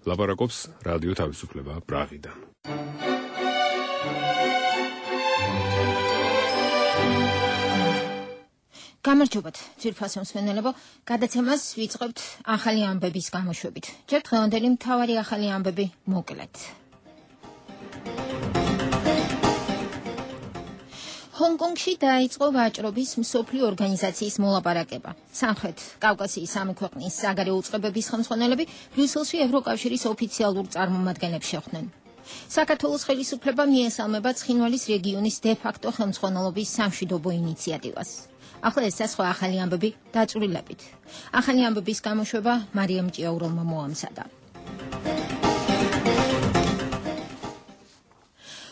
ლაპარაკობს რადიო თავისუფლება პრაღიდან. გამარჯობათ, ძვირფასო მსმენელებო, გადაცემას ვიწყებთ ახალი ამბების გამოშვებით. ჯერ დღევანდელი მთავარი ახალი ამბები მოკლედ. ჰონგ-კონგში დაიწყო ვაჭრობის მსოფლიო ორგანიზაციის მოლაპარაკება. სამხრეთ კავკასიის სამი ქვეყნის საგარეო უწყებების ხელმძღვანელები ბრიუსელში ევროკავშირის ოფიციალურ წარმომადგენლებს შეხვდნენ. საქართველოს ხელისუფლება მიესალმება ცხინვალის რეგიონის დე-ფაქტო ხელმძღვანელობის სამშვიდობო ინიციატივას. ახლა ეს სხვა ახალი ამბები დაწვრილებით. ახალი ამბების გამოშვება მარიამ ჭიაურელმა მოამზადა.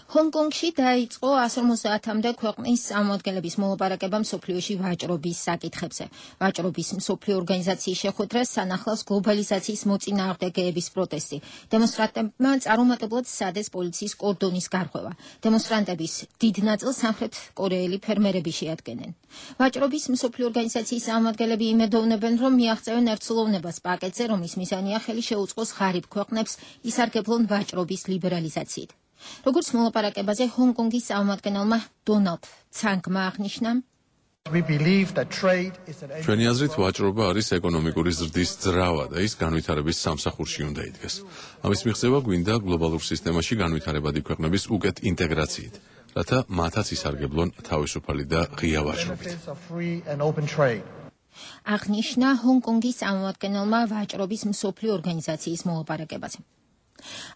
ჰონგ-კონგში დაიწყო 150-მდე ქვეყნის წარმომადგენლების მოლაპარაკება მსოფლიოში ვაჭრობის საკითხებზე. ვაჭრობის მსოფლიო ორგანიზაციის შეხვედრას სანახლავს გლობალიზაციის მოწინააღმდეგეების პროტესტი. დემონსტრანტებმა წარუმატებლად სცადეს პოლიციის კორდონის გარღვევა. დემონსტრანტების დიდ ნაწილს სამხრეთ კორეელი ფერმერები შეადგენენ. ვაჭრობის მსოფლიო ორგანიზაციის წარმომადგენლები იმედოვნებენ, რომ მიაღწევენ ერთსულოვნებას პაკეტზე, რომლის მიზანია ხელი შეუწყოს ღარიბ ქვეყნებს ისარგებლონ ვაჭრობის ლიბერალიზაციით. როგორც მოლაპარაკებაზე ჰონგ-კონგის წარმომადგენელმა დონალდ ცანგმა აღნიშნა, ჩვენი აზრით ვაჭრობა არის ეკონომიკური ზრდის ძრავა და ის განვითარების სამსახურში უნდა იდგეს. ამის მიღწევა გვინდა გლობალურ სისტემაში განვითარებადი ქვეყნების უკეთ ინტეგრაციით, რათა მათაც ისარგებლონ თავისუფალი და ღია ვაჭრობით. აღნიშნა ჰონგ-კონგის წარმომადგენელმა ვაჭრობის მსოფლიო ორგანიზაციის მოლაპარაკებაზე.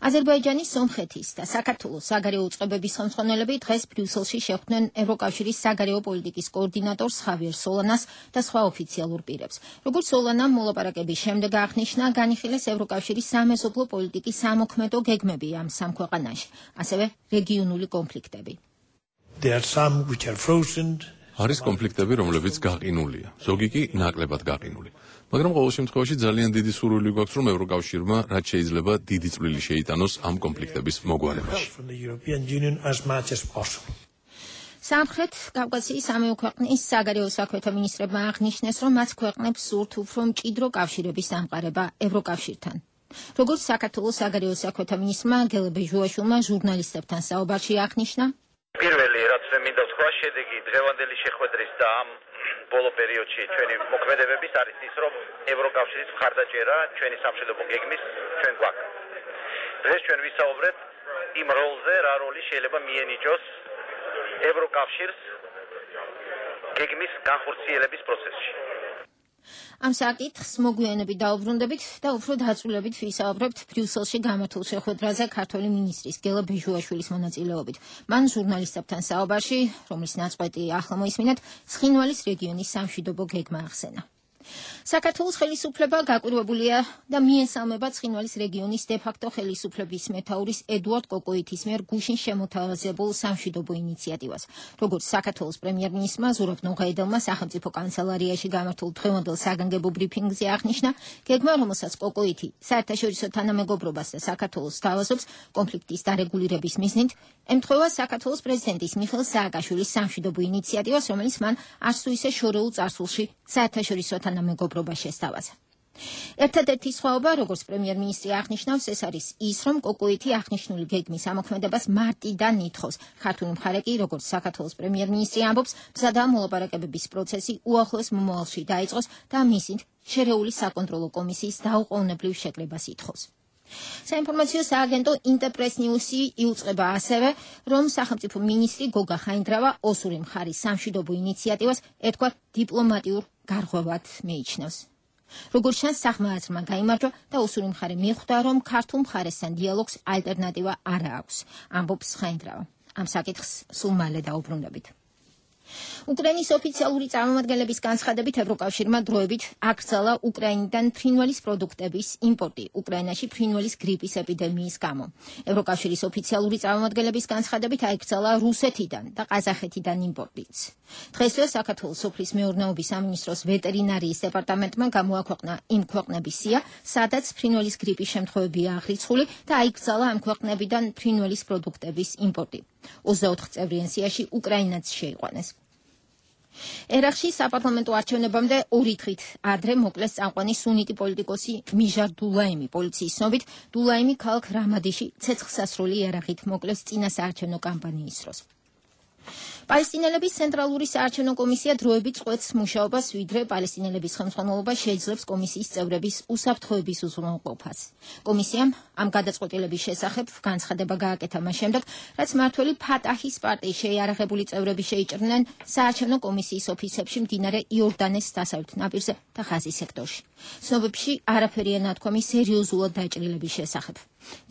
აზერბაიჯანის, სომხეთის და საქართველოს საგარეო უწყებების ხელმძღვანელები დღეს ბრიუსელში შეხვდნენ ევროკავშირის საგარეო პოლიტიკის კოორდინატორს ხავიერ სოლანას და სხვა ოფიციალურ პირებს. როგორც სოლანამ მოლაპარაკების შემდეგ აღნიშნა, განიხილეს ევროკავშირის სამეზობლო პოლიტიკის სამოქმედო გეგმები ამ სამ ქვეყანაში, ასევე რეგიონული კონფლიქტები. არის კონფლიქტები, რომლებიც გაყინულია, ზოგი კი ნაკლებად გაყინული. მაგრამ ყოველ შემთხვევაში ძალიან დიდი სურვილი გვაქვს, რომ ევროკავშირმა რაც შეიძლება დიდი წვლილი შეიტანოს ამ კონფლიქტების მოგვარებაში. სამხრეთ კავკასიის სამეო ქვეყნის საგარეო საქმეთა მინისტრებმა აღნიშნეს, რომ მათ ქვეყნებს სურთ უფრო მჭიდრო კავშირების დამყარება ევროკავშირთან. როგორც საქართველოს საგარეო საქმეთა მინისტრმა გელე ბეჟუაშვილმა ჟურნალისტებთან საუბარში აღნიშნა, პირველი რაც მე მინდა თქვა, შედეგი დღევანდელი შეხვედრის და ამ ბოლო პერიოდში ჩვენი მოქმედებების არის ის, რომ ევროკავშირის მხარდაჭერა ჩვენი სამშვიდობო გეგმის ჩვენ გვაქვს. დღეს ჩვენ ვისაუბრეთ იმ როლზე, რა როლი შეიძლება მიენიჭოს ევროკავშირს გეგმის განხორციელების პროცესში. ამ საკითხს მოგვიანებით დაუბრუნდებით და უფრო დაწვრილებით ვისაუბრებთ ბრიუსელში გამართულ შეხვედრაზე ქართველი მინისტრის გელე ბეჟუაშვილის მონაწილეობით. მან ჟურნალისტებთან საუბარში, რომლის ნაწყვეტი ახლა მოისმინეთ, ცხინვალის რეგიონის სამშვიდობო გეგმა ახსენა. საქართველოს ხელისუფლება გაკვირვებულია და მიესალმება ცხინვალის რეგიონის დე-ფაქტო ხელისუფლების მეთაურის ედუარდ კოკოითის მიერ გუშინ შემოთავაზებულ სამშვიდობო ინიციატივას. როგორც საქართველოს პრემიერ-მინისტრმა ზურაბ ნოღაიდელმა სახელმწიფო კანცელარიაში გამართულ დღევანდელ საგანგებო ბრიფინგზე აღნიშნა, გეგმა, რომელსაც კოკოითი საერთაშორისო თანამეგობრობას და საქართველოს სთავაზობს კონფლიქტის დარეგულირების მიზნით, ემთხვევა საქართველოს პრეზიდენტის მიხეილ სააკაშვილის სამშვიდობო ინიციატივას, რომელიც მან არც თუ ისე შორეულ წარსულში საერთაშორისო თანამეგობრობა შესთავაზა. ერთადერთი სხვაობა, როგორც პრემიერ-მინისტრი აღნიშნავს, ეს არის ის, რომ კოკოითი აღნიშნული გეგმის ამოქმედებას მარტიდან ითხოვს. ქართული მხარე კი, როგორც საქართველოს პრემიერ-მინისტრი ამბობს, მზადაა მოლაპარაკებების პროცესი უახლოეს მომავალში დაიწყოს და მისით შერეული საკონტროლო კომისიის დაუყოვნებლივ შეკრებას ითხოვს. საინფორმაციო სააგენტო ინტერპრეს ნიუსი იუწყება ასევე, რომ სახელმწიფო მინისტრი გოგა ხაინდრავა ოსური მხარის სამშვიდობო ინიციატივას ერთგვარ დიპლომატიურ გარღვევად მიიჩნევს. როგორც ჩანს, სახმააზრმა გაიმარჯვა და ოსური მხარე მიხვდა, რომ ქართულ მხარესთან დიალოგს ალტერნატივა არა აქვს, ამბობს ხაინდრავა. ამ საკითხს სულ მალე დაუბრუნდებით. უკრაინის ოფიციალური წარმომადგენლების განცხადებით ევროკავშირმა დროებით აკრძალა უკრაინიდან ფრინველის პროდუქტების იმპორტი უკრაინაში ფრინველის გრიპის ეპიდემიის გამო. ევროკავშირის ოფიციალური წარმომადგენლების განცხადებით აიკრძალა რუსეთიდან და ყაზახეთიდან იმპორტიც. დღესვე საქართველოს სოფლის მეურნეობის სამინისტროს ვეტერინარიის დეპარტამენტმა გამოაქვეყნა იმ ქვეყნების სია, სადაც ფრინველის გრიპის შემთხვევებია აღრიცხული და აიკრძალა ამ ქვეყნებიდან ფრინველის პროდუქტების იმპორტი. 24 წევრიან სიაში უკრაინაც შეიყვანეს. ერაყში საპარლამენტო არჩევნებამდე 2 დღით ადრე მოკლეს წამყვანი სუნიტი პოლიტიკოსი მიჟარ დულაიმი. პოლიციის ცნობით, დულაიმი ქალაქ რამადიში ცეცხლსასროლი იარაღით მოკლეს წინა საარჩევნო კამპანიის დროს. პალესტინელების ცენტრალური საარჩევნო კომისია დროებით წყვეტს მუშაობას, ვიდრე პალესტინელების ხელმძღვანელობა შეძლებს კომისიის წევრების უსაფრთხოების უზრუნველყოფას. კომისიამ ამ გადაწყვეტილების შესახებ განცხადება გააკეთა მას შემდეგ, რაც მმართველი ფატაჰის პარტიის შეიარაღებული წევრები შეიჭრნენ საარჩევნო კომისიის ოფისებში მდინარე იორდანეს დასავლეთ ნაპირზე და ღაზის სექტორში. ცნობებში არაფერია ნათქვამი სერიოზულად დაჭრილების შესახებ.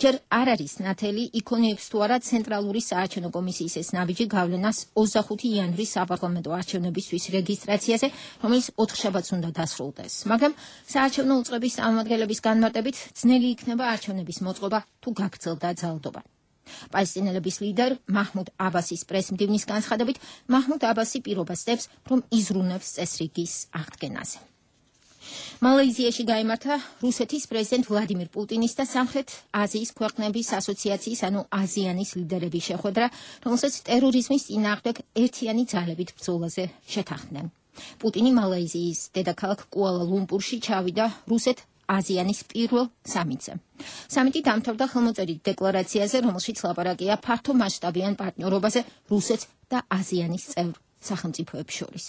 ჯერ არ არის ნათელი იქონიებს თუ არა ცენტრალური საარჩევნო კომისიის ეს ნაბიჯი გავლენას 25 იანვრის საპარლამენტო არჩევნებისთვის რეგისტრაციაზე, რომელიც 4 შაბათს უნდა დასრულდეს. მაგრამ საარჩევნო უწყების წარმომადგენლების განმარტებით ძნელი იქნება არჩევნების მოწყობა თუ გაგრძელდა ძალადობა. პალესტინელების ლიდერ მაჰმუდ აბასის პრესმდივნის განცხადებით, მაჰმუდ აბასი პირობას დებს, რომ იზრუნებს წესრიგის აღდგენაზე. მალაიზიაში გაიმართა რუსეთის პრეზიდენტ ვლადიმირ პუტინის და სამხრეთ აზიის ქვეყნების ასოციაციის, ანუ აზიანის ლიდერების შეხვედრა, რომელსაც ტერორიზმის წინააღმდეგ ერთიანი ძალებით ბრძოლაზე შეთანხმდნენ. პუტინი მალაიზიის დედაქალაქ კუალა-ლუმპურში ჩავიდა რუსეთ-აზიანის პირველ სამიტზე. სამიტი დამთავრდა ხელმოწერით დეკლარაციაზე, რომელშიც ლაპარაკია ფართო მასშტაბიან პარტნიორობაზე რუსეთს და აზიანის წევრ სახელმწიფოებს შორის.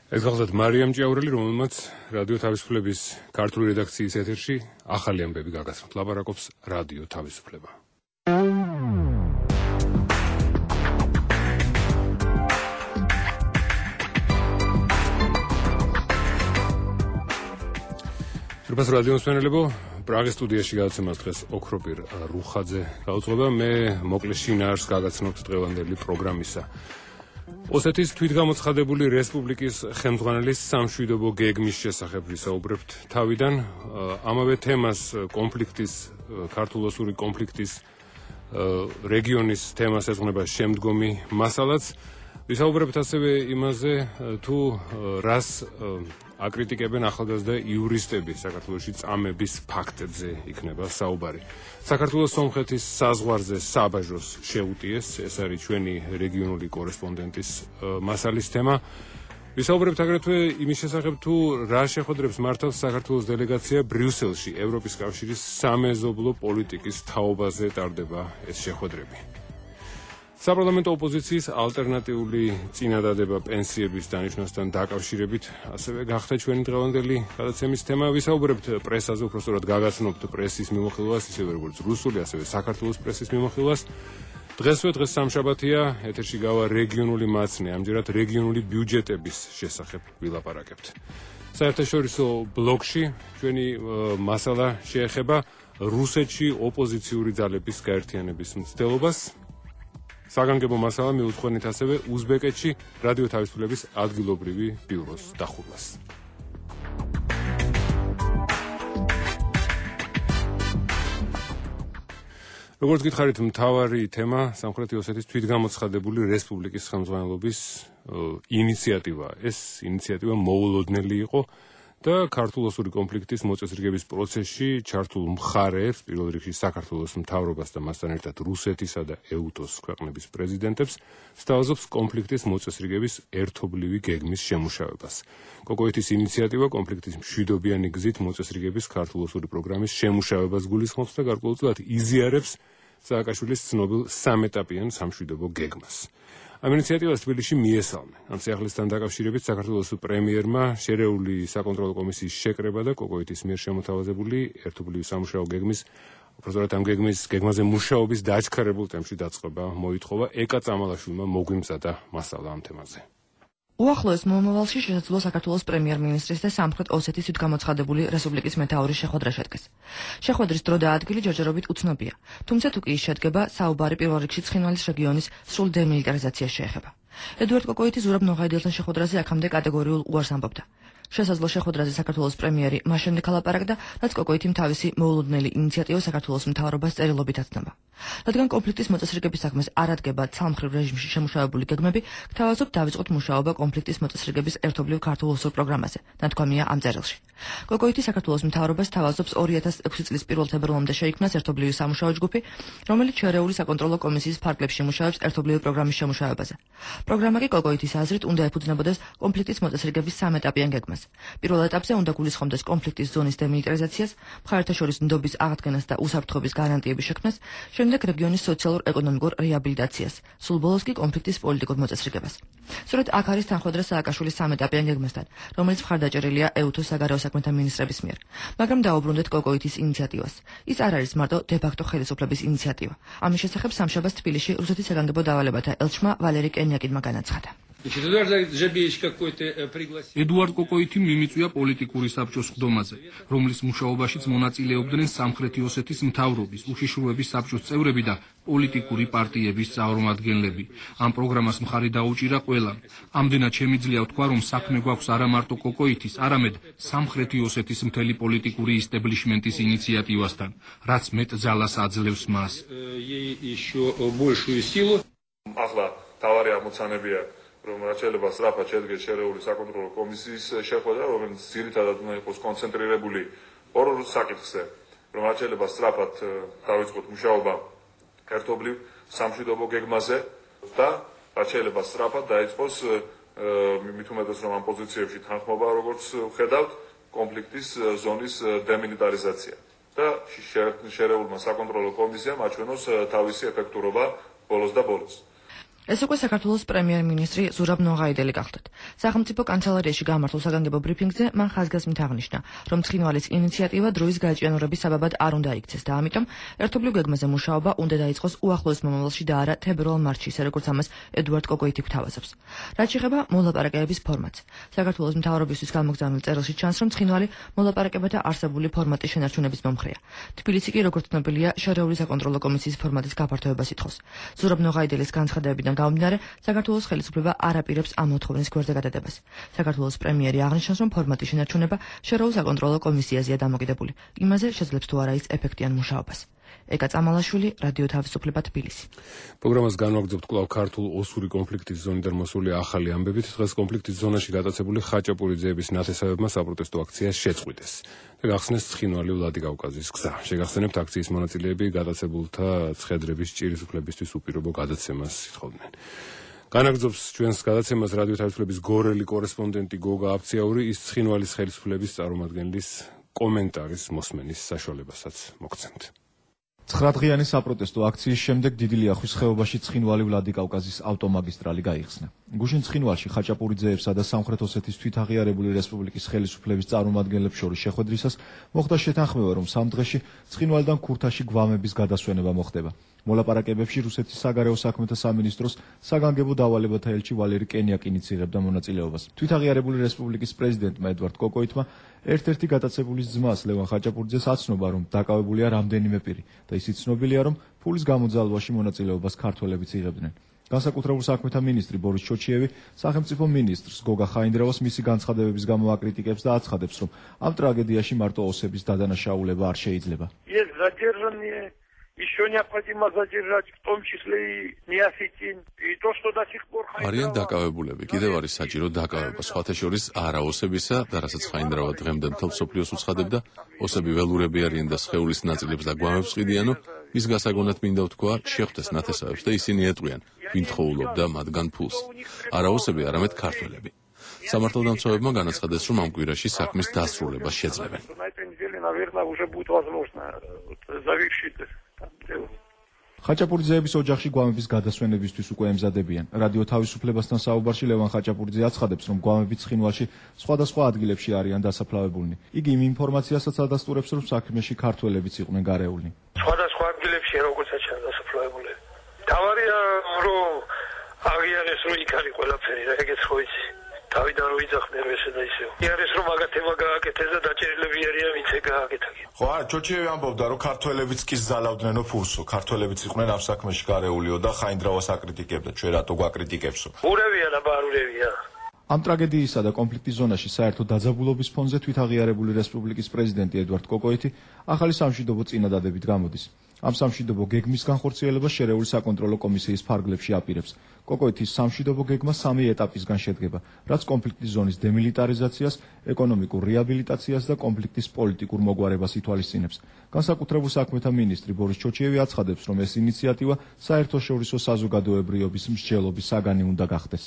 ეს გახლდათ მარიამ ჭიაურელი, რომელმაც რადიო თავისუფლების ქართული რედაქციის ეთერში ახალი ამბები გაგაცნოთ. ლაპარაკობს რადიო თავისუფლება. რუბას რადიო მსმენელებო, პრაღის სტუდიაში გადაცემას დღეს ოქროპირ რუხაძე გაუძღვება. მე მოკლე შინაარსს გაგაცნობთ დღევანდელი პროგრამისა. ოსეთის თვითგამოცხადებული რესპუბლიკის ხელმძღვანელის სამშვიდობო გეგმის შესახებ ვისაუბრებთ თავიდან. ამავე თემას კონფლიქტის, ქართულ-ოსური კონფლიქტის რეგიონის თემას ეძღვნება შემდგომი მასალაც. ვისაუბრებთ ასევე იმაზე, თუ რას აკრიტიკებენ ახალგაზრდა იურისტები საქართველოში წამების ფაქტებზე იქნება საუბარი. საქართველოს სომხეთის საზღვარზე საბაჟოს შეუტიეს, ეს არის ჩვენი რეგიონული კორესპონდენტის მასალის თემა. ვისაუბრებთ აგრეთვე იმის შესახებ, თუ რა შეხვედრებს მართავს საქართველოს დელეგაცია ბრიუსელში. ევროპის კავშირის სამეზობლო პოლიტიკის თაობაზე ტარდება ეს შეხვედრები. საპარლამენტო ოპოზიციის ალტერნატიული წინადადება პენსიების დანიშნვასთან დაკავშირებით ასევე გახდა ჩვენი დღევანდელი გადაცემის თემა. ვისაუბრებთ პრესაზე, უпростоრად გაგაცნობთ პრესის მიმოხილვას, ისევე როგორც რუსული, ასევე საქართველოს პრესის მიმოხილვას. დღეს სამშაბათია, ეთერში გავა რეგიონული მაცნე, ამჯერად რეგიონული ბიუჯეტების შესახებ ვილაპარაკებთ. საერთაშორისო ბლოკში ჩვენი მასალა შეეხება რუსეთში ოპოზიციური ძალების გაერთიანების მცდელობას. საგანგებო მასალა მიუძღვენით ასევე უზბეკეთში რადიო თავისუფლების ადგილობრივი ბიუროს დახურვას. როგორც გითხარით, მთავარი თემა სამხრეთი ოსეთის თვითგამოცხადებული რესპუბლიკის ხელმძღვანელობის ინიციატივა. ეს ინიციატივა მოულოდნელი იყო და ქართულ-ოსური კონფლიქტის მოწესრიგების პროცესში ჩართულ მხარეებს, პირველ რიგში საქართველოს მთავრობას და მასთან ერთად რუსეთისა და ეუთოს ქვეყნების პრეზიდენტებს, სთავაზობს კონფლიქტის მოწესრიგების ერთობლივი გეგმის შემუშავებას. კოკოეთის ინიციატივა კონფლიქტის მშვიდობიანი გზით მოწესრიგების ქართულ-ოსური პროგრამის შემუშავებას გულისხმობს და გარკვეულწილად იზიარებს სააკაშვილის ცნობილ სამეტაპიან სამშვიდობო გეგმას. ამ ინიციატივას თბილისში მიესალმე. ამ სიახლესთან დაკავშირებით საქართველოს პრემიერმა შერეული საკონტროლო კომისიის შეკრება და კოკოეთის მიერ შემოთავაზებული ერთობლივი სამუშაო გეგმის, უბრალოდ ამ გეგმაზე მუშაობის დაჩქარებულ ტემპში დაწყება მოითხოვა. ეკა წამალაშვილმა მოგვიმზადა მასალა ამ თემაზე. უახლოეს მომავალში შესაძლოა საქართველოს პრემიერ-მინისტრის და სამხრეთ ოსეთის თვითგამოცხადებული რესპუბლიკის მეთაურის შეხვედრა შედგეს. შეხვედრის დრო და ადგილი ჯერჯერობით უცნობია, თუმცა თუ კი ის შედგება, საუბარი პირველ რიგში ცხინვალის რეგიონის სრულ დემილიტარიზაციას შეეხება. ედუარდ კოკოიტი ზურაბ ნოღაიდილთან შეხვედრაზე აქამდე კატეგორიულ უარს ამბობდა. შესაძლო შეხვედრაზე საქართველოს პრემიერი მას შემდეგ ალაპარაკდა, რაც კოკოიტიმ თავისი მოულოდნელი ინიციატივა საქართველოს მთავრობას წერილობით აცნობა. რადგან კონფლიქტის მოწესრიგების საქმეს არ ადგება ცალმხრივ რეჟიმში შემუშავებული გეგმები, გთავაზობ დავიწყოთ მუშაობა კონფლიქტის მოწესრიგების ერთობლივ ქართულ-ოსურ პროგრამაზე, ნათქვამია ამ წერილში. კოკოიტი საქართველოს მთავრობას თავაზობს 2006 წლის 1 თებერვლამდე შეიქმნას ერთობლივი სამუშაო ჯგუფი, რომელიც შერეული საკონტროლო კომისიის ფარგლებში მუშაობს ერთობლივი პროგრამის შემუშავებაზე. პროგრამა კი კოკოიტის აზრით უნდა ეფუძნებოდეს კონფლიქტის მოწესრიგების სამეტაპიან გეგმას. პირველ ეტაპზე უნდა გულისხმობდეს კონფლიქტის ზონის დემილიტარიზაციას, მხარეთა შორის ნდობის აღდგენას და უსაფრთხოების გარანტიების შექმნას, შემდეგ რეგიონის სოციალურ-ეკონომიკურ რეაბილიტაციას, სულ ბოლოს კი კონფლიქტის პოლიტიკურ მოწესრიგებას. სწორედ აქ არის თანხმედრა სააკაშვილის სამეტაპიან გეგმასთან, რომელიც მხარდაჭერილია ეუთოს საგარეო საქმეთა მინისტრების მიერ. მაგრამ დაუბრუნდეთ კოკოიტის ინიციატივას. ის არ არის მარტო დე-ფაქტო ხელისუფლების ინიციატივა. ამის შესახებ სამშაბათს თბილისში რუსეთის საგანგებო დავალებათა ელჩმა ვალერი კენიაკიდმა განაცხადა. ედუარდ კოკოიტი მიმიწვია პოლიტიკური საბჭოს ხდომაზე, რომლის მუშაობაშიც მონაწილეობდნენ სამხრეთი ოსეთის მთავრობის, უშიშროების საბჭოს წევრები და პოლიტიკური პარტიების წარმომადგენლები. ამ პროგრამას მხარი დაუჭირა ყველამ. ამდენად შემიძლია ვთქვა, რომ საქმე გვაქვს არა მარტო კოკოიტის, არამედ სამხრეთი ოსეთის მთელი პოლიტიკური ისტაბლიშმენტის ინიციატივასთან, რაც მეტ ძალას აძლევს მას. ახლა თავარი ამოცანებია რომ რაც შეიძლება სწრაფად შედგეს შერეული საკონტროლო კომისიის შეხვედრა, რომელიც ძირითადად უნდა იყოს კონცენტრირებული ორ საკითხზე, რომ რაც შეიძლება სწრაფად დავიწყოთ მუშაობა ერთობლივ სამშვიდობო გეგმაზე და რაც შეიძლება სწრაფად დაიწყოს მით უმეტეს რომ ამ პოზიციებში თანხმობა, როგორც ვხედავთ, კონფლიქტის ზონის დემილიტარიზაცია და შერეულმა საკონტროლო კომისიამ აჩვენოს თავისი ეფექტურობა ბოლოს და ბოლოს. ეს უკვე საქართველოს პრემიერ-მინისტრი ზურაბ ნოღაიდელი გახლდათ. სახელმწიფო კანცელარიაში გამართულ საგანგებო ბრიფინგზე მან ხაზგასმით აღნიშნა, რომ ცხინვალის ინიციატივა დროის გაჭიანურების საბაბად არ უნდა იქცეს და ამიტომ ერთობლივ გეგმაზე მუშაობა უნდა დაიწყოს უახლოეს მომავალში და არა თებერვალ-მარტში, ისე როგორც ამას ედუარდ კოკოიტი გვთავაზობს. რაც შეეხება მოლაპარაკებების ფორმატს, საქართველოს მთავრობისთვის გამოგზავნილ წერილში ჩანს, რომ ცხინვალი მოლაპარაკებათა არსებული ფორმატის შენარჩუნების მომხრეა. თბილისი კი, როგორც ცნობილია, შერეული საკონტროლო კომისიის ფორმატის გაფართოებას ითხოვს. ზურაბ ნოღაიდელის განცხადებებიდან გამომდინარე, საქართველოს ხელისუფლება არ აპირებს ამ მოთხოვნის გვერდზე გადადებას. საქართველოს პრემიერი აღნიშნავს, რომ ფორმატის შენარჩუნება შერეულ საკონტროლო კომისიაზეა დამოკიდებული. იმაზე შეძლებს თუ არა ის ეფექტიან მუშაობას. ეკა წამალაშვილი, რადიო თავისუფლება, თბილისი. პროგრამას განვაგრძობთ კვლავ ქართულ ოსური კონფლიქტის ზონიდან მოსული ახალი ამბებით. დღეს კონფლიქტის ზონაში გატაცებული ხაჭაპურიძეების ნათესავებმა საპროტესტო აქცია შეწყვიტეს და გახსნეს ცხინვალი ვლადიკავკაზის გზა. შეგახსენებთ, აქციის მონაწილეები გატაცებულთა ცხედრების ჭირის უფლებისთვის უპირობო გადაცემას ითხოვდნენ. განაგრძობს ჩვენს გადაცემას რადიო თავისუფლების გორელი კორესპონდენტი გოგა აფციაური, ის ცხინვალის ხელისუფლების წარმომადგენლის კომენტარის მოსმენის საშუალებასაც მოგცემთ. 9 დღიანი საპროტესტო აქციის შემდეგ დიდი ლიახვის ხეობაში ცხინვალი ვლადიკავკაზის ავტომაგისტრალი გაიხსნა. გუშინ ცხინვალში ხაჭაპურიძეებსა და სამხრეთ ოსეთის თვითაღიარებული რესპუბლიკის ხელისუფლების წარმომადგენლებს შორის შეხვედრისას მოხდა შეთანხმება, რომ სამ დღეში ცხინვალიდან ქურთაში გვამების გადასვენება მოხდება. მოლაპარაკებებში რუსეთის საგარეო საქმეთა სამინისტროს საგანგებო დავალებათა ელჩი ვალერი კენიაკინიც იღებდა მონაწილეობას. თვითაღიარებული რესპუბლიკის პრეზიდენტმა ედუარდ კოკოიტმა ერთ-ერთი გატაცებულის ძმას ლევან ხაჭაპურიძეს აცნობა, რომ დაკავებულია რამდენიმე პირი და ისიც ცნობილია, რომ ფულის გამოძალვაში მონაწილეობას ქართველებიც იღებდნენ. განსაკუთრებულ საქმეთა მინისტრი ბორის ჩოჩიევი სახელმწიფო მინისტრს გოგა ხაინდრავას მისი განცხადებების გამო აკრიტიკებს და აცხადებს, რომ ამ ტრაგედიაში მარტო ოსების დადანაშაულება არ შეიძლება. Еще необходимо задержать, в том числе и неофитин, и то, что до сих пор არიან დაკავებულები, კიდევ არის საჭირო დაკავება, სხვათა შორის არა ოსებისა და რასაც ხაინდრავა დღემდე მთელ მსოფლიოს უცხადებდა, ოსები ველურები არიან და სხეულის ნაწილებს და გვამებს ყიდიანო, მის გასაგონად მინდა ვთქვა, შეხვდეს ნათესავებს და ისინი ეტყვიან, ვინ თხოვლობდა მათგან ფულს. არა ოსები, არამედ ქართველები. სამართალდამცავებმა განაცხადეს, რომ ამ კვირაში საქმის დასრულებას შეძლებენ. ხაჭაპურიძეების ოჯახში გვამების გადასვენებისთვის უკვე ემზადებიან. რადიო თავისუფლებასთან საუბარში ლევან ხაჭაპურიძე აცხადებს, რომ გვამები ცხინვალში სხვადასხვა ადგილებში არიან დასაფლავებულნი. იგი იმ ინფორმაციასაც ადასტურებს, რომ საქმეში ქართველებიც იყვნენ გარეული. სხვადასხვა ადგილებში როგორც აჩვენა დასაფლავებული. თავარია რომ აღიარეს რომ იქ არის ყველაფერი, რა ეგეც ხო იცი. თავიდან რო იძახდნენ ესე და ისე. იარეს რომ მაგათება გააკეთეს და დაჭერილები არიან ვიცე გააკეთა. ხო, არა, ჩოჩიევი ამბობდა, რომ ქართველებიც კი ზალავდნენო ფულსო, ქართველებიც იყვნენ ამ საქმეში გარეულიო და ხაინდრავას აკრიტიკებდა, ჩვენ რატო გვაკრიტიკებსო. ურევია და ბარურევია. ამ ტრაგედიისა და კონფლიქტის ზონაში საერთო დაძაბულობის ფონზე თვითაღიარებული რესპუბლიკის პრეზიდენტი ედვარდ კოკოიტი ახალი სამშვიდობო წინადადებით გამოდის. ამ სამშვიდობო გეგმის განხორციელება შერეული საკონტროლო კომისიის ფარგლებში აპირებს. კოკოიტის სამშვიდობო გეგმა 3 ეტაპისგან შედგება, რაც კონფლიქტის ზონის დემილიტარიზაციას, ეკონომიკურ რეაბილიტაციას და კონფლიქტის პოლიტიკურ მოგვარებას ითვალისწინებს. განსაკუთრებულ საქმეთა მინისტრი ბორის ჩოჩიევი აცხადებს, რომ ეს ინიციატივა საერთაშორისო საზოგადოებრიობის მსჯელობის საგანი უნდა გახდეს.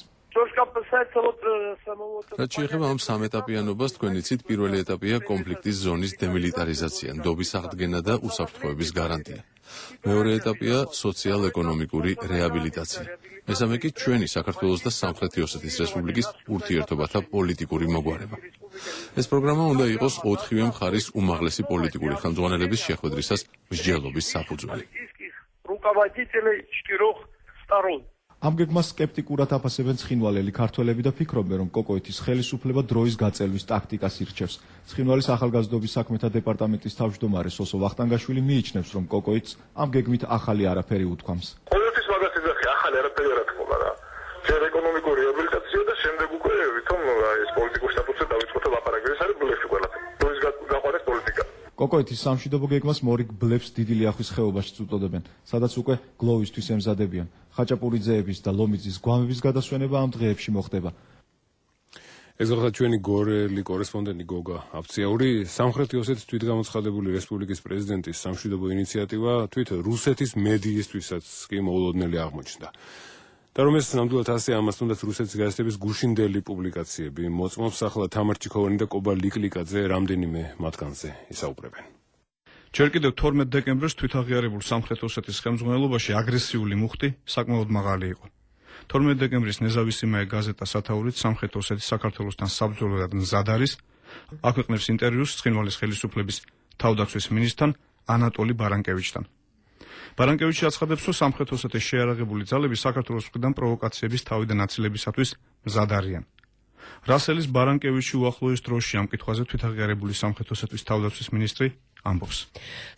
რაც შეეხება ამ სამეტაპიანობას, თქვენ იცით, პირველი ეტაპია კონფლიქტის ზონის დემილიტარიზაცია, ნდობის აღდგენა და უსაფრთხოების გარანტია. მეორე ეტაპია სოციალ-ეკონომიკური რეაბილიტაცია. მესამე კი ჩვენი საქართველოს და სამხრეთი ოსეთის რესპუბლიკის ურთიერთობათა პოლიტიკური მოგვარება. ეს პროგრამა უნდა იყოს 4-ვე მხარის უმაღლესი პოლიტიკური ხელმძღვანელების შეხვედრისას მსჯელობის საფუძველი. ამ გეგმას სკეპტიკურად აფასებენ ცხინვალელი ქართველები და ფიქრობენ, რომ კოკოიტის ხელისუფლება დროის გაწელვის ტაქტიკას ირჩევს. ცხინვალის ახალგაზრდობის საქმეთა დეპარტამენტის თავმჯდომარე სოსო ვახტანგაშვილი მიიჩნევს, რომ კოკოიტს ამ გეგმით ახალი არაფერი უთქვამს. ყოველთვის მაგას ეძახი, ახალი არაფერი არ თქმა რა. ჯერ ეკონომიკური რეაბილიტაცია და შემდეგ უკვე ვითომ ეს პოლიტიკური სტატუსზე დავიწყოთ ლაპარაკი. ეს არის ბლეფი ყველაფერი. დროის გაყვანეს პოლიტიკა. კოკოიტის სამშვიდობო გეგმას მორიგ ბლებს დიდი ლიახვის ხეობაში წუწოდებენ, სადაც უკვე გლოვისთვის ემზადებიან. ხაჭაპურიძეების და ლომიძის გვამების გადასვენება ამ დღეებში მოხდება. ეს გახდა ჩვენი გორელი კორესპონდენტი გოგა აფციაური. სამხრეთი ოსეთის თვითგამოცხადებული რესპუბლიკის პრეზიდენტის სამშვიდობო ინიციატივა თვით რუსეთის მედიისთვისაც კი მოულოდნელი აღმოჩნდა. და რომ ეს ნამდვილად ასე, ამას თუნდაც რუსეთის გაზეთების გუშინდელი პუბლიკაციები მოწმობს, ახლა თამარ ჩიქოვანი და კობა ლიკლიკაძე რამდენიმე მათგანზე ისაუბრებენ. ჯერ კიდევ 12 დეკემბერს თვითაღიარებულ სამხრეთ ოსეთის ხელმძღვანელობაში აგრესიული მუხტი საკმაოდ მაღალი იყო. 12 დეკემბრის ნეზავისიმაე გაზეტა სათაურით სამხრეთ ოსეთის საქართველოსთან საბრძოლოდ მზად არის, აქვეყნებს ინტერვიუს ცხინვალის ხელისუფლების თავდაცვის მინისტრთან ანატოლი ბარანკევიჩთან. ბარანკევიჩი აცხადებს, რომ სამხრეთ ოსეთის შეიარაღებული ძალები საქართველოს მხრიდან პროვოკაციების თავიდან აცილებისათვის მზად არიან. რასელის ბარანკევიჩი უახლოეს დროში ამ კითხვაზე თვითაღიარებული სამხრეთ ოსეთის თავდაცვის მინისტრი ამბობს.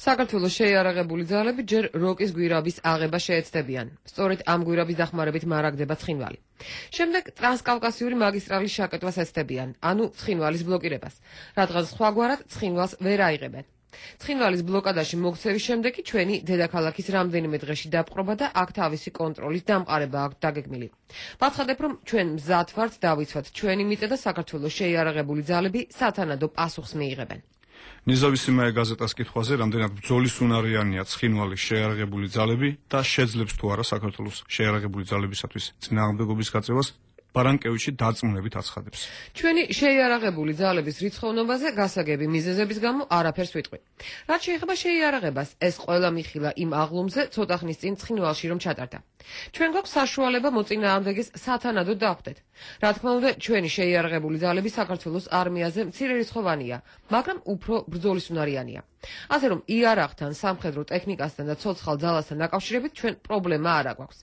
საქართველოს შეიარაღებული ძალები ჯერ როკის გვირაბის აღება შეეცდებიან. სწორედ ამ გვირაბის დახმარებით მარაგდება ცხინვალი. შემდეგ ტრანსკავკასიური მაგისტრალის შაკეტვას ეცდებიან, ანუ ცხინვალის ბლოკირებას, რადგან სხვაგვარად ცხინვალს ვერ აიღებენ. ცხინვალის ბლოკადაში მოქცევის შემდეგ კი ჩვენი დედაქალაქის რამდენიმე დღეში დაპყრობა და აქ თავისი კონტროლის დამყარება აქვს დაგეგმილი. ვაცხადებ, რომ ჩვენ მზად ვართ დავიცვათ ჩვენი მიწა და საქართველოს შეიარაღებული ძალები სათანადო პასუხს მიიღებენ. ნიზავისიმაე გაზეტას კითხვაზე, რამდენად ბრძოლის უნარიანია ცხინვალის შეიარაღებული ძალები და შეძლებს თუ არა საქართველოს შეიარაღებული ძალებისათვის წინააღმდეგობის გაწევას, ბარანკევიჩი დარწმუნებით აცხადებს. ჩვენი შეიარაღებული ძალების რიცხოვნობაზე გასაგები მიზეზების გამო არაფერს ვიტყვი. რაც შეეხება შეიარაღებას, ეს ყველა მიხილა იმ აღლუმზე ცოტა ხნის წინ ცხინვალში რომ ჩატარდა. ჩვენ გვაქვს საშუალება მოწინააღმდეგეს სათანადოდ დავხვდეთ. რა თქმა უნდა, ჩვენი შეიარაღებული ძალები საქართველოს არმიაზე მცირერიცხოვანია, მაგრამ უფრო ბრძოლის უნარიანია. ასე რომ იარაღთან, სამხედრო ტექნიკასთან და ცოცხალ ძალასთან დაკავშირებით ჩვენ პრობლემა არ აგვაქვს.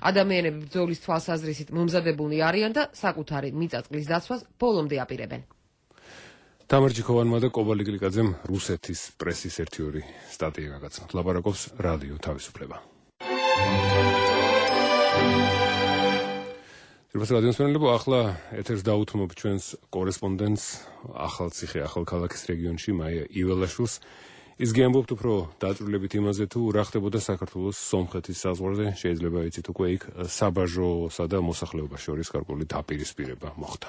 ადამიანები ბრძოლის თვალსაზრისით მომზადებულნი არიან და საკუთარი მიწა-წყლის დაცვას ბოლომდე აპირებენ. თამარ ჩიქოვანმა და კობა ლიკლიკაძემ რუსეთის პრესის 1-2 სტატია გაგაცნოთ. ლაპარაკობს რადიო თავისუფლება. ძირფას რადიოსმენელებო, ახლა ეთერს დაუთმობ ჩვენს კორესპონდენტს ახალციხე ახალქალაქის რეგიონში მაია იველაშვილს. ის გიამბობთ უფრო დაწვრილებით იმაზე, თუ რა ხდებოდა საქართველოს სომხეთის საზღვარზე, შეიძლება იცით უკვე იქ საბაჟოსა და მოსახლეობას შორის გარკვეული დაპირისპირება მოხდა.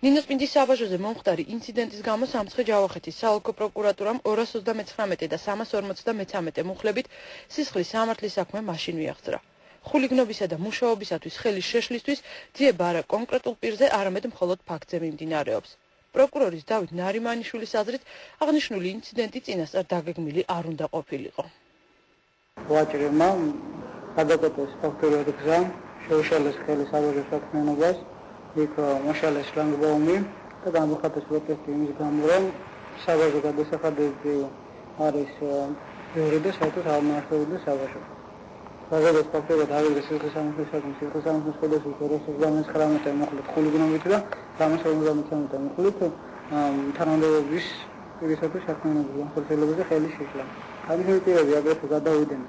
ნინოსპინდის საბაჟოზე მომხდარი ინციდენტის გამო სამცხე-ჯავახეთის საოლქო პროკურატურამ 239 და 353 მუხლებით სისხლის სამართლის საქმე მაშინ მიაღწია. ხულიგნობისა და მუშაობისათვის ხელის შეშლისთვის ძიება არა კონკრეტულ პირზე, არამედ მხოლოდ ფაქტზე მიმდინარეობს. პროკურორის დავით ნარიმანიშვილის აზრით, აღნიშნული ინციდენტი წინასწარ დაგეგმილი არ უნდა ყოფილიყო. ვაჭრებმა გადაგატოს ფაქტობრივად გზა, შეუშალეს ხელი საბაჟო საქმიანობას, იქ მოშალეს შლანგბაუმი და გამოხატეს პროტესტი იმის გამო, რომ საბაჟო გადასახადები არის ბევრი და საერთოდ არ მართლობდა საბაჟო. გადაგატოს ფაქტობრივად აღიარეს სიხესამართლის საქმის სიხესამართლის კოდექსის 219 მუხლით ხულიგნობით და 353 მუხლით თანამდებობის პირისათვის საქმიანობის განხორციელებაზე ხელი შეშლა. ამის მიტივები აგრეთვე გადავიდნენ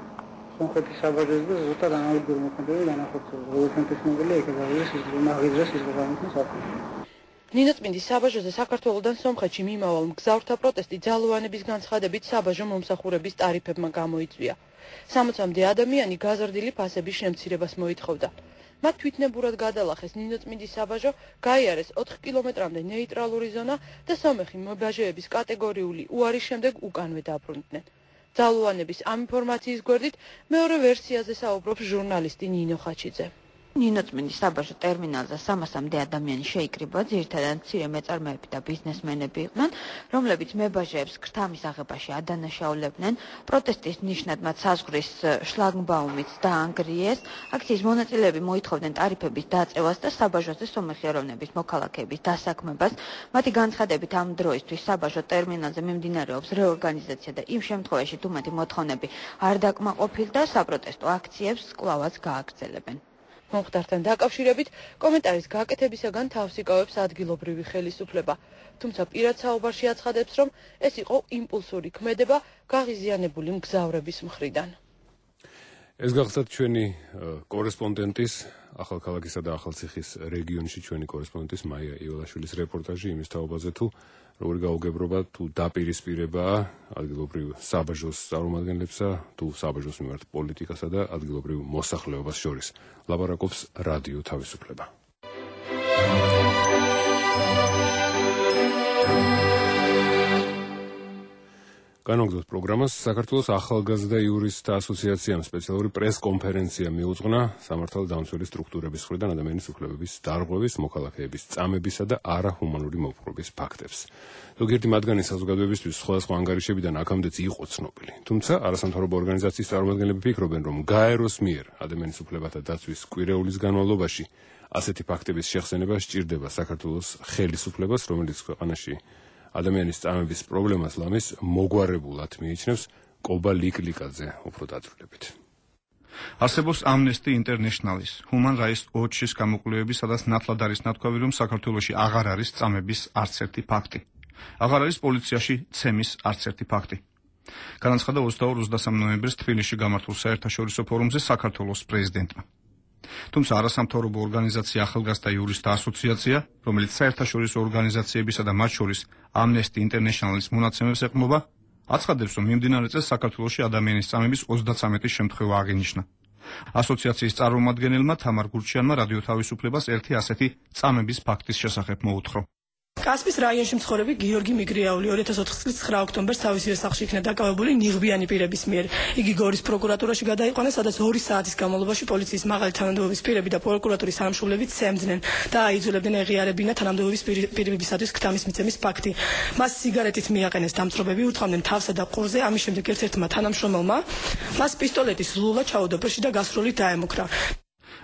სომხეთის საბაჟოს და ზუსტად ანალოგიური მოქმედებები განახორციელებს. როგორც ნათქვამია, ეკადაგეს ის მაგიდრეს ის გამოსნის საფუძველი. ნინოწმინდის საბაჟოზე საქართველოსთან სომხეთში მიმავალ მგზავრთა პროტესტი ძალოვანების განცხადებით საბაჟო მომსახურების ტარიფებმა გამოიწვია. 60-მდე ადამიანი გაზრდილი ფასების შემცირებას მოითხოვდა. მათ თვითნებურად გადალახეს ნინოწმინდის საბაჟო, გაიარეს 4 კილომეტრამდე ნეიტრალური ზონა და სომეხი მობაჟეების კატეგორიული უარის შემდეგ უკანვე დაბრუნდნენ. ძალოვანების ამ ინფორმაციის გვერდით მეორე ვერსიაზე საუბრობს ჟურნალისტი ნინო ხაჩიძე. ნინოწმინდის საბაჟო ტერმინალზე 300-მდე ადამიანი შეიკრიბა, ძირითადად მცირე მეწარმეები და ბიზნესმენები იყვნენ, რომლებიც მებაჟეებს ქრთამის აღებაში ადანაშაულებდნენ. პროტესტის ნიშნად მათ საზღვრის შლაგბაუმიც დაანგრიეს. აქციის მონაწილეები მოითხოვდნენ ტარიფების დაწევას და საბაჟოზე სომეხი ეროვნების მოქალაქეების დასაქმებას. მათი განცხადებით ამ დროისთვის საბაჟო ტერმინალზე მიმდინარეობს რეორგანიზაცია და იმ შემთხვევაში თუ მათი მოთხოვნები არ დაკმაყოფილდა, საპროტესტო აქციებს კვლავაც გააგრძელებენ. მომხდართან დაკავშირებით კომენტარის გაკეთებისაგან თავს იკავებს ადგილობრივი ხელისუფლება. თუმცა პირად საუბარში აცხადებს, რომ ეს იყო იმპულსური ქმედება გაღიზიანებული მგზავრების მხრიდან. ეს გახლდათ ჩვენი კორესპონდენტის ახალქალაქისა და ახალციხის რეგიონში ჩვენი კორესპონდენტის მაია იოლაშვილის რეპორტაჟი იმის თაობაზე თუ როგორი გაუგებრობა თუ დაპირისპირებაა ადგილობრივ საბაჟოს წარმომადგენლებსა თუ საბაჟოს მიმართ პოლიტიკასა და ადგილობრივ მოსახლეობას შორის. ლაპარაკობს რადიო თავისუფლება. განაგრძოთ პროგრამას. საქართველოს ახალგაზრდა იურისტთა ასოციაციამ სპეციალური პრეს-კონფერენცია მიუძღვნა სამართალდამცველი სტრუქტურების მხრიდან ადამიანის უფლებების დარღვევის, მოქალაქეების წამებისა და არაჰუმანური მოპყრობის ფაქტებს. ზოგიერთი მათგანი საზოგადოებისთვის სხვადასხვა ანგარიშებიდან აქამდეც იყო ცნობილი. თუმცა არასამთავრობო ორგანიზაციის წარმომადგენლები ფიქრობენ, რომ გაეროს მიერ ადამიანის უფლებათა დაცვის კვირეულის განმავლობაში ასეთი ფაქტების შეხსენება სჭირდება საქართველოს ხელისუფლებას, რომელიც ქვეყანაში ადამიანის წამების პრობლემას ლამის მოგვარებულად მიიჩნევს. კობა ლიკლიკაძე უფრო დაწვრილებით. არსებობს Amnesty International-ის Human Rights Watch-ის გამოკვლევები, სადაც ნათლად არის ნათქვამი, რომ საქართველოში აღარ არის წამების არც ერთი ფაქტი. აღარ არის პოლიციაში ცემის არც ერთი ფაქტი. განაცხადა 22-23 ნოემბერს თბილისში გამართულ საერთაშორისო ფორუმზე საქართველოს პრეზიდენტმა. თუმცა არასამთავრობო ორგანიზაცია ახალგაზრდა იურისტთა ასოციაცია, რომელიც საერთაშორისო ორგანიზაციებისა და მათ შორის Amnesty International-ის მონაცემებს ეყრდნობა, აცხადებს, რომ მიმდინარე წელს საქართველოში ადამიანის წამების 33 შემთხვევა აღინიშნა. ასოციაციის წარმომადგენელმა თამარ გურჩიანმა რადიო თავისუფლებას ერთი ასეთი წამების ფაქტის შესახებ მოუთხრა. კასპის რაიონში მცხოვრები გიორგი მიგრიაული 2004 წლის 9 ოქტომბერს თავისივე სახლში იქნა დაკავებული ნიღბიანი პირების მიერ. იგი გორის პროკურატურაში გადაიყვანეს, სადაც 2 საათის განმავლობაში პოლიციის მაღალი თანამდებობის პირები და პროკურატურის სამშობლები ცემდნენ და აიძულებდნენ ეღიარებინა თანამდებობის პირებისათვის ქთამის მიცემის ფაქტი. მას სიგარეტით მიაყენეს დამწრობები, უთხრამდნენ თავსა და ყურზე, ამის შემდეგ ერთ-ერთმა თანამშრომელმა მას პისტოლეტის ლულა ჩაუდო ფერში და გასროლით დაემუქრა.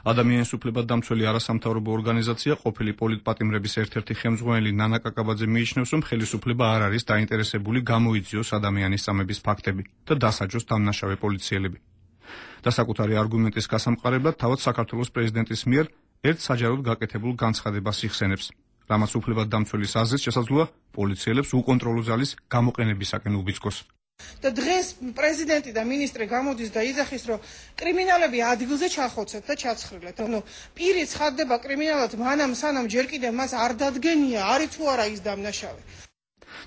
ადამიანის უფლებად დამცველი არასამთავრობო ორგანიზაცია ყოფილი პოლიტპატიმრების ერთ-ერთი ხელმძღვანელი ნანა კაკაბაძე მიიჩნევს, რომ ხელისუფლება არ არის დაინტერესებული გამოიძიოს ადამიანის წამების ფაქტები და დასაჯოს დამნაშავე პოლიციელები. და საკუთარი არგუმენტის გასამყარებლად თავად საქართველოს პრეზიდენტის მიერ ერთ საჯაროდ გაკეთებულ განცხადებას იხსენებს, რამაც უფლებად დამცველის აზრით შესაძლოა პოლიციელებს უკონტროლო ძალის გამოყენებისაკენ უბიძგოს. და დღეს პრეზიდენტი და მინისტრი გამოდის და იძახის, რომ კრიმინალები ადგილზე ჩახოცეთ და ჩაცხრილეთ. ანუ პირი ცხადდება კრიმინალად მანამ სანამ ჯერ კიდევ მას არ დადგენია, არის თუ არა ის დამნაშავე.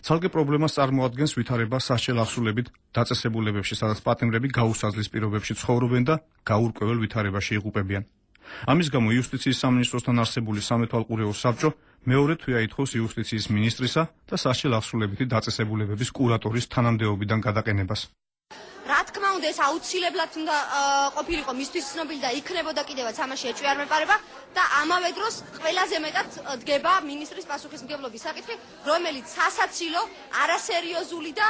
ცალკე პრობლემას წარმოადგენს ვითარება სასჯელ ახსულებით დაწესებულებებში, სადაც პატიმრები გაუსაზლის პირობებში ცხოვრობენ და გაურკვეველ ვითარებაში იღუპებიან. ამის გამო იუსტიციის სამინისტროსთან არსებული სამეთვალყურეო საბჭო მეორე თვეა ითხოვს იუსტიციის მინისტრისა და სასჯელ ახსულებითი დაწესებულებების კურატორის თანამდებობიდან გადაყენებას. რა თქმა უნდა, ეს აუცილებლად უნდა ყოფილიყო მისთვის ცნობილი და იქნებოდა კიდევაც ამაში ეჭვი არ მეპარება და ამავე დროს ყველაზე მეტად დგება მინისტრის პასუხისმგებლობის საკითხი, რომელიც სასაცილო, არასერიოზული და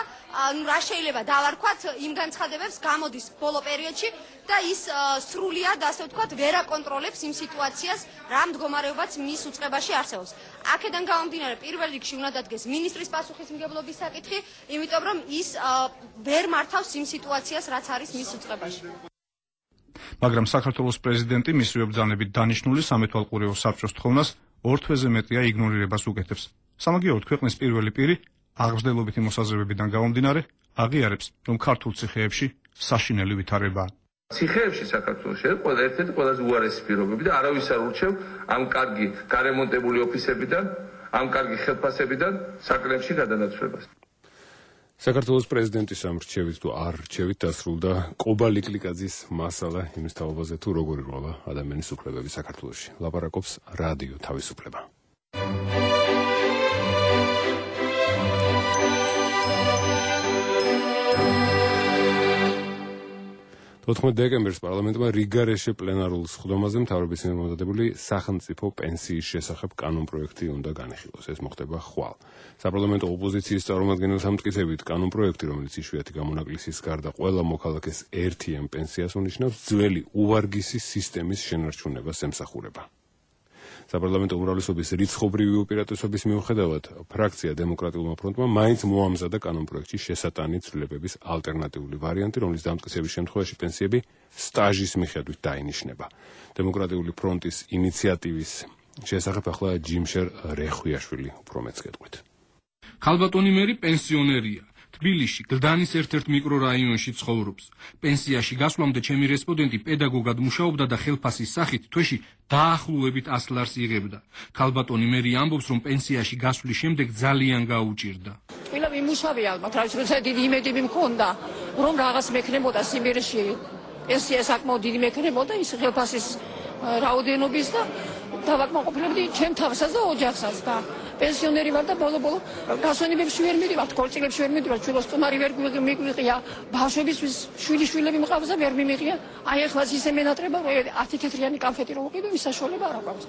რა შეიძლება დავარქვათ იმ განცხადებებს გამოდის ბოლო პერიოდში და ის სრულიად, ასე ვთქვათ, ვერ აკონტროლებს იმ სიტუაციას, რა მდგომარეობაც მის უწყებაში არსებობს. აქედან გამომდინარე, პირველ რიგში უნდა დადგეს მინისტრის პასუხისმგებლობის საკითხი, იმიტომ რომ ის ვერ მართავს იმ სიტუაციას, რაც არის მის უწყებაში. მაგრამ საქართველოს პრეზიდენტი მისივე ბრძანებით დანიშნული სამეთვალყურეო საბჭოს თხოვნას ორ თვეზე მეტია იგნორირებას უკეთებს. სამაგიეროდ ქვეყნის პირველი პირი აღგრძელობითი მოსაზრებებიდან გამომდინარე აღიარებს, რომ ქართულ ციხეებში საშინელი ვითარებაა. ციხეებში საქართველოში ყველა ერთ-ერთი ყველაზე უარესი პირობები და არავის არ ურჩევ ამ კარგი გარემონტებული ოფისებიდან, ამ კარგი ხელფასებიდან საკრემლში გადანაცვლებას. საქართველოს პრეზიდენტის ამრჩევით თუ არ რჩევით დასრულდა კობა ლიკლიკაძის მასალა იმის თაობაზე თუ როგორი როლა ადამიანის უფლებები საქართველოში. ლაპარაკობს რადიო თავისუფლება. 14 დეკემბერს პარლამენტმა რიგარეშე პლენარულ სხდომაზე მთავრობის მიერ მომზადებული სახელმწიფო პენსიის შესახებ კანონპროექტი უნდა განიხილოს. ეს მოხდება ხვალ. საპარლამენტო ოპოზიციის წარმომადგენელთა მტკიცებით კანონპროექტი, რომელიც იშვიათი გამონაკლისის გარდა ყველა მოქალაქეს ერთიან პენსიას უნიშნავს, ძველი უვარგისი სისტემის შენარჩუნებას ემსახურება. საპარლამენტო უმრავლესობის რიცხობრივი უპირატესობის მიუხედავად, ფრაქცია დემოკრატიულმა ფრონტმა მაინც მოამზადა კანონპროექტში შესატანი ცვლილებების ალტერნატიული ვარიანტი, რომლის დამტკიცების შემთხვევაში პენსიები სტაჟის მიხედვით დაინიშნება. დემოკრატიული ფრონტის ინიციატივის შესახებ ახლა ჯიმშერ რეხვიაშვილი უფრო მეც გეტყვით. ქალბატონი მერი პენსიონერია. თბილისში გლდანის ერთ-ერთ მიკრორაიონში ცხოვრობს. პენსიაში გასვლამდე ჩემი რესპონდენტი პედაგოგად მუშაობდა და ხელფასის სახით თვეში დაახლოებით 100 ლარს იღებდა. ქალბატონი მერი ამბობს, რომ პენსიაში გასვლის შემდეგ ძალიან გაუჭირდა. ყველა მიმუშავე ალბათ, რაც როცა დიდი იმედები მქონდა, რომ რაღაც მექნებოდა სიმერში, პენსია საკმაოდ დიდი მექნებოდა ის ხელფასის რაოდენობის და დავაკმაყოფილებდი ჩემ თავსაც და ოჯახსაც და პენსიონერი ვარ და ბოლო-ბოლო გასვენებებში ვერ მივიდივარ, ქორწილებში ვერ მივიდივარ, ჩვენს სტუმარი ვერ მიგვიყია, ბავშვებისთვის შვილიშვილები მყავს და ვერ მიმიღია. აი ახლაც ისე მენატრება, რომ 10 თეთრიანი კანფეტი რომ ვიყიდო, ის საშუალება არ აქვს.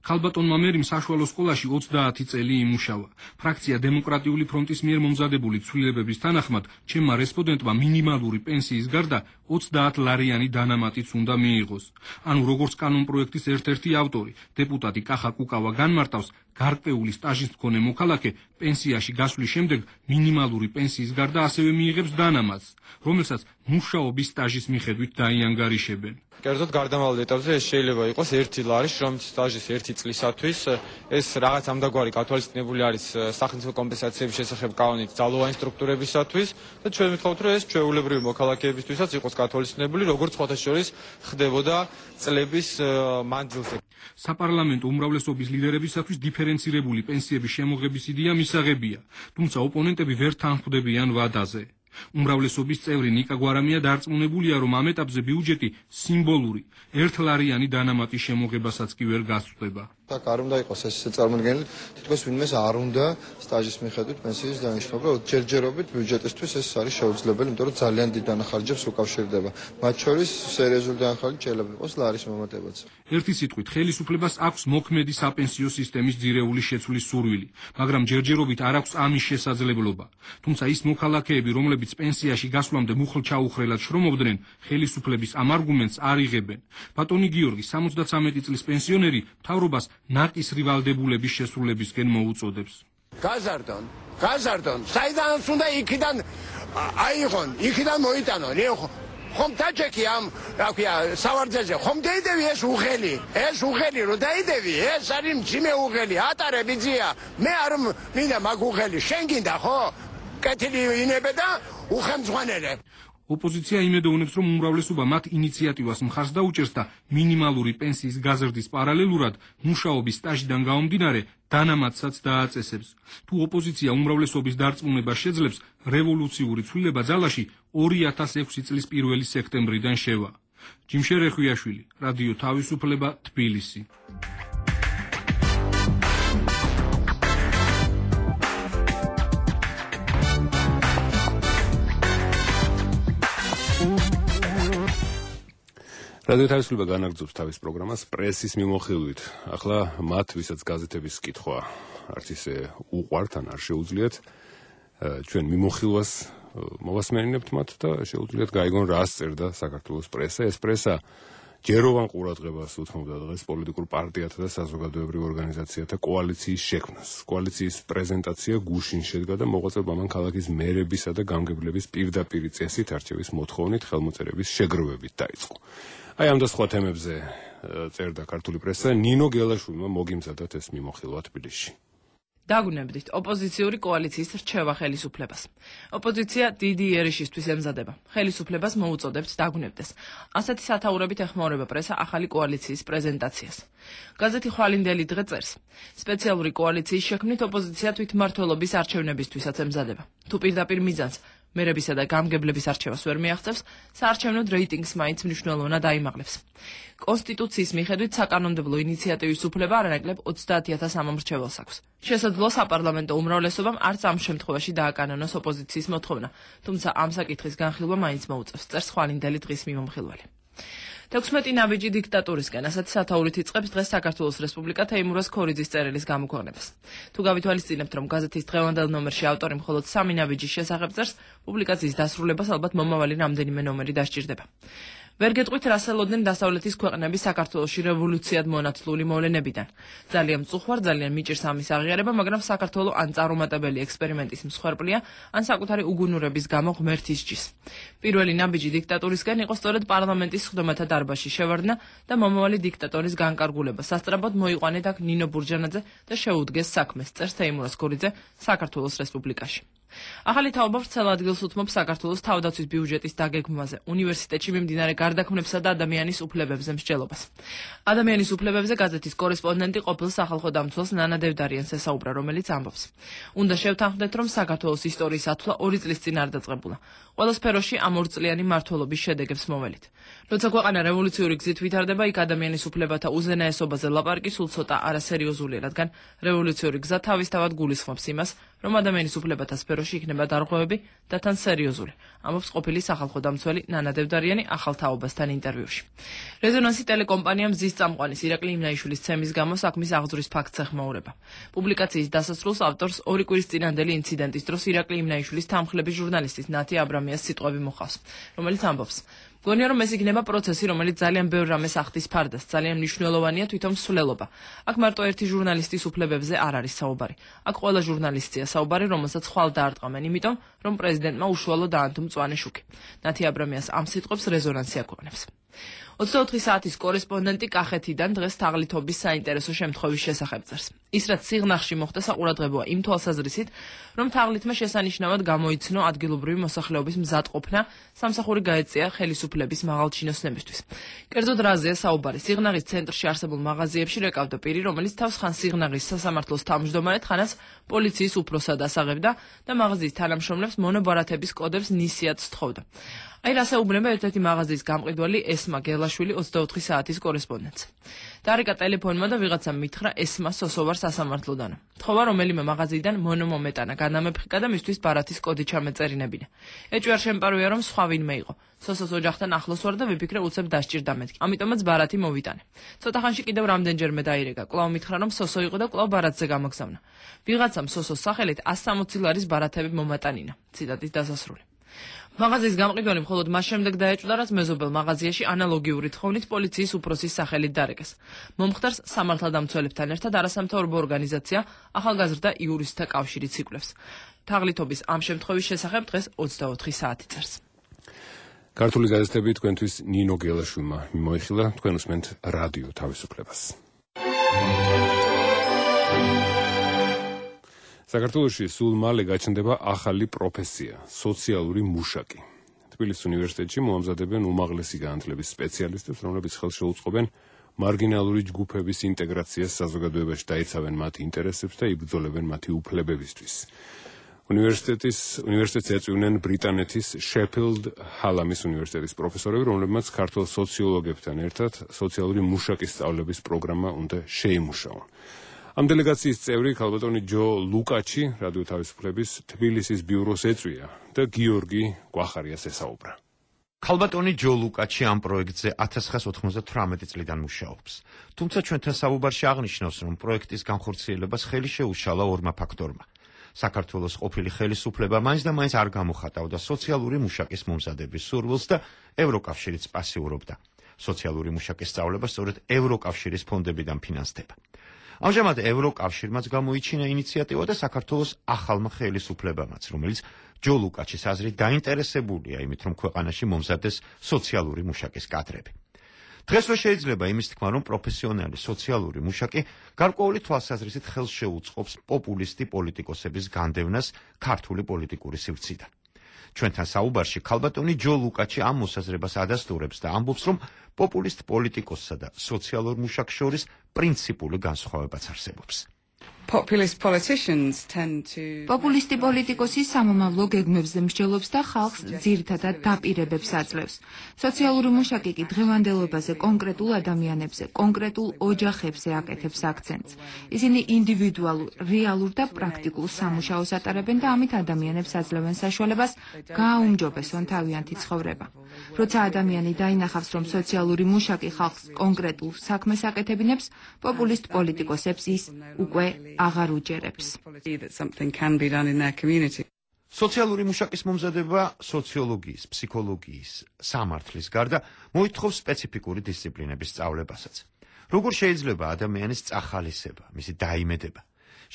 ქალბატონმა მერიმ საშუალო სკოლაში 30 წელი იმუშავა. ფრაქცია დემოკრატიული ფრონტის მიერ მომზადებული ცვლილებების თანახმად, ჩემმა რესპონდენტმა მინიმალური პენსიის გარდა 30 ლარიანი დანამატიც უნდა მიიღოს. ანუ როგორც კანონპროექტის ერთ-ერთი ავტორი, დეპუტატი კახა კუკავა განმარტავს, გარკვეული სტაჟის მქონე მოქალაქე პენსიაში გასვლის შემდეგ მინიმალური პენსიის გარდა ასევე მიიღებს დანამატს, რომელსაც მუშაობის სტაჟის მიხედვით დაიანგარიშებენ. კერძოდ გარდამავალ ეტაპზე ეს შეიძლება იყოს 1 ლარი, რომელიც სტაჟის 1 წლისათვის, ეს რაღაც ამდაგვარი გათვალისწინებული არის სახელმწიფო კომპენსაციების შესახებ კანონით ძალოვანი სტრუქტურებისათვის და ჩვენ ვთქვათ, რომ ეს ჩვეულებრივი მოქალაქეებისთვისაც იყოს გათვალისწინებული, როგორც სხვათა შორის ხდებოდა წლების მანძილზე. საპარლამენტო უმრავლესობის ლიდერებისათვის დიფერენცირებული პენსიების შემოღების იდეა მისაღებია, თუმცა ოპონენტები ვერ თანხმდებიან ვადაზე. უმრავლესობის წევრი ნიკა გვარამია დარწმუნებულია, რომ ამ ეტაპზე ბიუჯეტი სიმბოლური 1 ლარიანი დანამატის შემოღებასაც კი ვერ გასწვდება. აქ არ უნდა იყოს ეს წარმოქმნილი, თითქოს ვინმეს არ უნდა სტაჟის მიხედვით პენსიის დანიშნება, ჯერჯერობით ბიუჯეტისთვის ეს არის შეუძლებელი, იმიტომ რომ ძალიან დიდ დანახარჯებს უკავშირდება. მათ შორის სერიოზული დანახარჯი შეიძლება იყოს ლარის მომატებაც. ერთი სიტყვით, ხელისუფლებას აქვს მოქმედი საპენსიო სისტემის ძირეული შეცვლის სურვილი, მაგრამ ჯერჯერობით არ აქვს ამის შესაძლებლობა. თუმცა ის მოქალაქეები, რომლებიც პენსიაში გასვლამდე მუხლ ჩაუხრელად შრომობდნენ, ხელისუფლების ამ არგუმენტს არ იღებენ. ბატონი გიორგი, 73 წლის პენსიონერი, მთავრობას ნაკისრი ვალდებულების შესრულებისკენ მოუწოდებს. გაზარდონ, საიდანაც უნდა იქიდან აიღონ, იქიდან მოიტანონ. ხომ დაჭექი ამ, რა ქვია, სავარძელზე, ხომ დაიდევი ეს უღელი, რომ დაიდევი, ეს არის მძიმე უღელი, ატარები ძია, მე არ მინდა მაგ უღელი, შენ გინდა, ხო? კეთილი ინებე და უხემძღვანელე. ოპოზიცია იმედოვნებს, რომ უმრავლესობა მათ ინიციატივას მხარს დაუჭერს და მინიმალური პენსიის გაზრდის პარალელურად მუშაობის სტაჟიდან გამომდინარე დანამატსაც დააწესებს. თუ ოპოზიცია უმრავლესობის დარწმუნებას შეძლებს, რევოლუციური ცვლილება ძალაში 2006 წლის 1 სექტემბრიდან შევა. ჯიმშერ რეხვიაშვილი, რადიო თავისუფლება, თბილისი. რადიო თავისუფლება განაგრძობს თავის პროგრამას პრესის მიმოხილვით. ახლა მათ, ვისაც გაზეთების კითხვა არც ისე უყვართ ან არ შეუძლიათ, ჩვენ მიმოხილვას მოვასმენინებთ მათ და შეუძლიათ გაიგონ, რას წერდა საქართველოს პრესა. ეს პრესა ჯეროვან ყურადღებას უთმობდა დღეს პოლიტიკურ პარტიათა და საზოგადოებრივ ორგანიზაციათა კოალიციის შექმნას. კოალიციის პრეზენტაცია გუშინ შედგა და მოღვაწეობა მან ქალაქის მერებისა და გამგებლების პირდაპირი წესით არჩევის მოთხოვნით ხელმოწერების შეგროვებით დაიწყო. აი ამ და სხვა თემებზე წერდა ქართული პრესა. ნინო გელაშვილმა მოგიმზადათ ეს მიმოხილვა თბილისში. დაგვნებდით ოპოზიციური კოალიციის რჩევა ხელისუფლებას. ოპოზიცია დიდი იერიშისთვის ემზადება. ხელისუფლებას მოუწოდებთ დაგვნებდეს. ასეთი სათაურებით ეხმაურება პრესა ახალი კოალიციის პრეზენტაციას. გაზეთი ხვალინდელი დღე წერს. სპეციალური კოალიციის შექმნით ოპოზიცია თვითმმართველობის არჩევნებისთვისაც ემზადება. თუ პირდაპირ მიზანს მერებისა და გამგებლების არჩევას ვერ მიაღწევს, საარჩევნო რეიტინგს მაინც მნიშვნელოვნად აიმაღლებს. კონსტიტუციის მიხედვით საკანონმდებლო ინიციატივის უფლება არანაკლებ 30,000 ამომრჩეველს აქვს. შესაძლოა საპარლამენტო უმრავლესობამ არც ამ შემთხვევაში დააკანონოს ოპოზიციის მოთხოვნა, თუმცა ამ საკითხის განხილვა მაინც მოუწევს, წერს ხვალინდელი დღის მიმომხილველი. 16 ნაბიჯი დიქტატურისკენ, ასეთ სათაურით იწყებს დღეს საქართველოს რესპუბლიკა თეიმურაზ ქორიძის წერილის გამოქვეყნებას. თუ გავითვალისწინებთ, რომ გაზეთის დღევანდელ ნომერში ავტორი მხოლოდ 3 ნაბიჯის შესახებ წერს, პუბლიკაციის დასრულებას ალბათ მომავალი რამდენიმე ნომერი დასჭირდება. ვერ გეტყვით რას ელოდნენ დასავლეთის ქვეყნები საქართველოში რევოლუციად მონათლული მოვლენებიდან. ძალიან მწუხვარ, ძალიან მიჭირს ამის აღიარება, მაგრამ საქართველო ან წარუმატებელი ექსპერიმენტის მსხვერპლია, ან საკუთარი უგუნურების გამო ღმერთის ჯის. პირველი ნაბიჯი დიქტატურისგან იყო სწორედ პარლამენტის სხდომათა დარბაზში შევარდნა და მომავალი დიქტატორის განკარგულება. სასწრაფოდ მოიყვანეთ აქ ნინო ბურჯანაძე და შეუდგეს საქმეს, წერს თეიმურაზ ქორიძე საქართველოს რესპუბლიკაში. ახალი თაობა ვრცელ ადგილს უთმობს საქართველოს თავდაცვის ბიუჯეტის დაგეგმვაზე, უნივერსიტეტში მიმდინარე გარდაქმნებსა და ადამიანის უფლებებზე მსჯელობას. ადამიანის უფლებებზე გაზეთის კორესპონდენტი ყოფილ სახალხო დამცველს ნანა დევდარიანს ესაუბრა, რომელიც ამბობს. უნდა შევთანხმდეთ, რომ საქართველოს ისტორიის ათვლა 2 წლის წინ არ დაწყებულა. ყველა სფეროში ამ 2 წლიანი მმართველობის შედეგებს მოველით. როცა ქვეყანა რევოლუციური გზით ვითარდება, იქ ადამიანის უფლებათა უზენაესობაზე ლაპარაკი სულ ცოტა არასერიოზულია, რადგან რევოლუციური გზა თავისთავად გულისხმობს იმას, რომ ადამიანის უფლებათა სფეროში იქნება დარღვევები და თან სერიოზული, ამბობს ყოფილი სახალხო დამცველი ნანა დევდარიანი ახალ თაობასთან ინტერვიუში. რეზონანსი ტელეკომპანია მზის წამყვანის ირაკლი იმნაიშვილის ცემის გამო საქმის აღძვრის ფაქტს ეხმაურება. პუბლიკაციის დასასრულს ავტორს 2 კვირის წინანდელი ინციდენტის დროს ირაკლი იმნაიშვილის თანმხლების ჟურნალისტის ნათი აბრამიას სიტყვები მოხავს, რომელიც ამბობს: გონია რომ ეს იქნება პროცესი, რომელიც ძალიან ბევრ რამეს ახდის ფარდას, ძალიან მნიშვნელოვანია თვითონ მსვლელობა. აქ მარტო ერთი ჟურნალისტის უფლებებზე არ არის საუბარი. აქ ყველა ჟურნალისტია საუბარი, რომელსაც ხვალ დაარტყამენ, იმიტომ რომ პრეზიდენტმა უშუალო დაანთო მწვანე შუქი. ნათი აბრამიას ამ სიტყვებს რეზონანსი აქვეყნებს. 24 საათის კორესპონდენტი კახეთიდან დღეს თაღლითობის საინტერესო შემთხვევის შესახებ წერს. ის რაც სიღნაღში მოხდა საყურადღებოა იმ თვალსაზრისით, რომ თაღლითმა შესანიშნავად გამოიცნო ადგილობრივი მოსახლეობის მზადყოფნა, სამსახური გაეწია ხელისუფლების მაღალჩინოსნებისთვის. კერძოდ რაზეა საუბარი? სიღნაღის ცენტრში არსებულ მაღაზიებში რეკავდა პირი, რომელიც თავს ხან სიღნაღის სასამართლოს თავმჯდომარედ, ხანაც პოლიციის უფროსად ასაღებდა და მაღაზიის თანამშრომლებს მონობარათების კოდებს ნისიად სთხოვდა. აი რას ეუბნება ერთ-ერთი მაღაზიის გამყიდველი ესმა გელაშვილი 24 საათის კორესპონდენტს. დარეკა ტელეფონმა და ვიღაცამ მითხრა ესმა სოსოვარ სასამართლოდანო. თხოვა რომელიმე მაღაზიიდან მონო მომეტანა, განამეფხიკა და მისთვის ბარათის კოდი ჩამეწერინებინა. ეჭვი არ შემპარვია რომ სხვა ვინმე იყო. სოსოს ოჯახთან ახლოს ვარ და ვიფიქრე უცებ დასჭირდა მეთქი. ამიტომაც ბარათი მოვიტანე. ცოტა ხანში კიდევ რამდენჯერმე დაირეკა. კვლავ მითხრა რომ სოსო იყო და კვლავ ბარათზე გამოგზავნა. ვიღაცამ სოსოს სახელით 160 ლარის ბარათები მომატანინა. ციტატის დასასრული. მაღაზიის გამყიდველი მხოლოდ მას შემდეგ დაეჭვდა, რაც მეზობელ მაღაზიაში ანალოგიური თხოვნით პოლიციის უფროსის სახელით დარეკეს. მომხდარს სამართალდამცველებთან ერთად არასამთავრობო ორგანიზაცია ახალგაზრდა იურისტთა კავშირიც იკვლევს. თაღლითობის ამ შემთხვევის შესახებ დღეს 24 საათი წერს. ქართული გაზეთები თქვენთვის ნინო გელაშვილმა მიმოიხილა, თქვენ უსმენთ რადიო თავისუფლებას. საქართველოში სულ მალე გაჩნდება ახალი პროფესია, სოციალური მუშაკი. თბილისის უნივერსიტეტში მოამზადებენ უმაღლესი განათლების სპეციალისტებს, რომლებიც ხელს შეუწყობენ მარგინალური ჯგუფების ინტეგრაციას საზოგადოებაში, დაიცავენ მათ ინტერესებს და იბრძოლებენ მათი უფლებებისთვის. უნივერსიტეტს ეწვივნენ ბრიტანეთის შეფილდ ჰალამის უნივერსიტეტის პროფესორები, რომლებმაც ქართულ სოციოლოგებთან ერთად სოციალური მუშაკის სწავლების პროგრამა უნდა შეიმუშაონ. ამ დელეგაციის წევრი ქალბატონი ჯო ლუკაჩი რადიო თავისუფლების თბილისის ბიუროს ეწვია და გიორგი კვახარიას ესაუბრა. ქალბატონი ჯო ლუკაჩი ამ პროექტზე 1998 წლიდან მუშაობს. თუმცა ჩვენთან საუბარში აღნიშნავს, რომ პროექტის განხორციელებას ხელი შეუშალა ორმა ფაქტორმა. საქართველოს ყოფილი ხელისუფლება მაინც და მაინც არ გამოხატავდა სოციალური მუშაკის მომზადების სურვილს და ევროკავშირიც პასიურობდა. სოციალური მუშაკის სწავლება სწორედ ევროკავშირის ფონდებიდან ფინანსდება. ამჟამად ევროკავშირმაც გამოიჩინა ინიციატივა და საქართველოს ახალმა ხელისუფლებამაც, რომელიც ჯო ლუკაჩის აზრით დაინტერესებულია იმით, რომ ქვეყანაში მომზადდეს სოციალური მუშაკის კადრები. დღეს რო შეიძლება იმის თქმა, რომ პროფესიონალი სოციალური მუშაკი გარკვეული თვალსაზრისით ხელს შეუწყობს პოპულისტი პოლიტიკოსების განდევნას ქართული პოლიტიკური სივრციდან. ჩვენთან საუბარში ქალბატონი ჯო ლუკაჩი ამ მოსაზრებას ადასტურებს და ამბობს, რომ პოპულისტ პოლიტიკოსსა და სოციალურ მუშაკს შორის პრინციპული განსხვავებაც არსებობს. პოპულისტი პოლიტიკოსი სამომავლო გეგმებზე მსჯელობს და ხალხს ძირითადად დაპირებებს აძლევს. სოციალური მუშაკი კი დღევანდელობაზე კონკრეტულ ადამიანებზე, კონკრეტულ ოჯახებზე აკეთებს აქცენტს. ისინი ინდივიდუალურ, რეალურ და პრაქტიკულ სამუშაოს ატარებენ და ამით ადამიანებს აძლევენ საშუალებას გააუმჯობესონ თავიანთი ცხოვრება. როცა ადამიანი დაინახავს, რომ სოციალური მუშაკი ხალხს კონკრეტულ საქმეს აკეთებინებს, პოპულისტ პოლიტიკოსებს ის უკვე აღარ უჯერებს. სოციალური მუშაკის მომზადება სოციოლოგიის, ფსიქოლოგიის, სამართლის გარდა მოითხოვს სპეციფიკური დისციპლინების სწავლებასაც. როგორ შეიძლება ადამიანის წახალისება, მისი დაიმედება?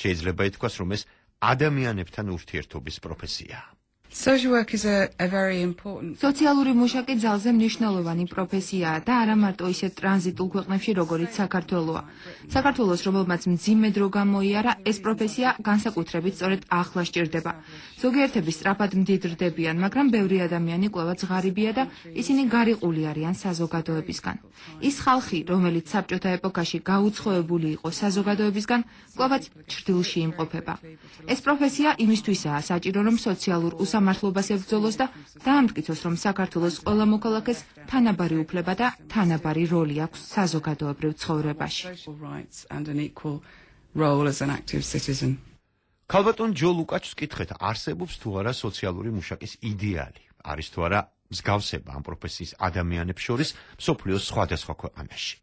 შეიძლება ითქვას, რომ ეს ადამიანებთან ურთიერთობის პროფესიაა. სოციალური მუშაკი ძალზე მნიშვნელოვანი პროფესიაა და არა მარტო ისეთ ტრანზიტულ ქვეყნებში, როგორიც საქართველოა. საქართველოს, რომელმაც მძიმე დრო გამოიარა, ეს პროფესია განსაკუთრებით სწორედ ახლა სჭირდება. ზოგიერთები სწრაფად მდიდრდებიან, მაგრამ ბევრი ადამიანი კვლავაც ღარიბია და ისინი გარიყული არიან საზოგადოებისგან. ის ხალხი, რომელიც საბჭოთა ეპოქაში გაუცხოებული იყო საზოგადოებისგან, კვლავაც ჩრდილში იმყოფება. ეს პროფესია იმისთვისაა საჭირო, რომ სოციალურ სამართლობას ებრძოლოს და დაამტკიცოს, რომ საქართველოს ყველა მოქალაქეს თანაბარი უფლება და თანაბარი როლი აქვს საზოგადოებრივ ცხოვრებაში. ქალბატონ ჯო ლუკაჩს კითხეთ, არსებობს თუ არა სოციალური მუშაკის იდეალი, არის თუ არა მსგავსება ამ პროფესიის ადამიანებს შორის მსოფლიოს სხვადასხვა ქვეყანაში.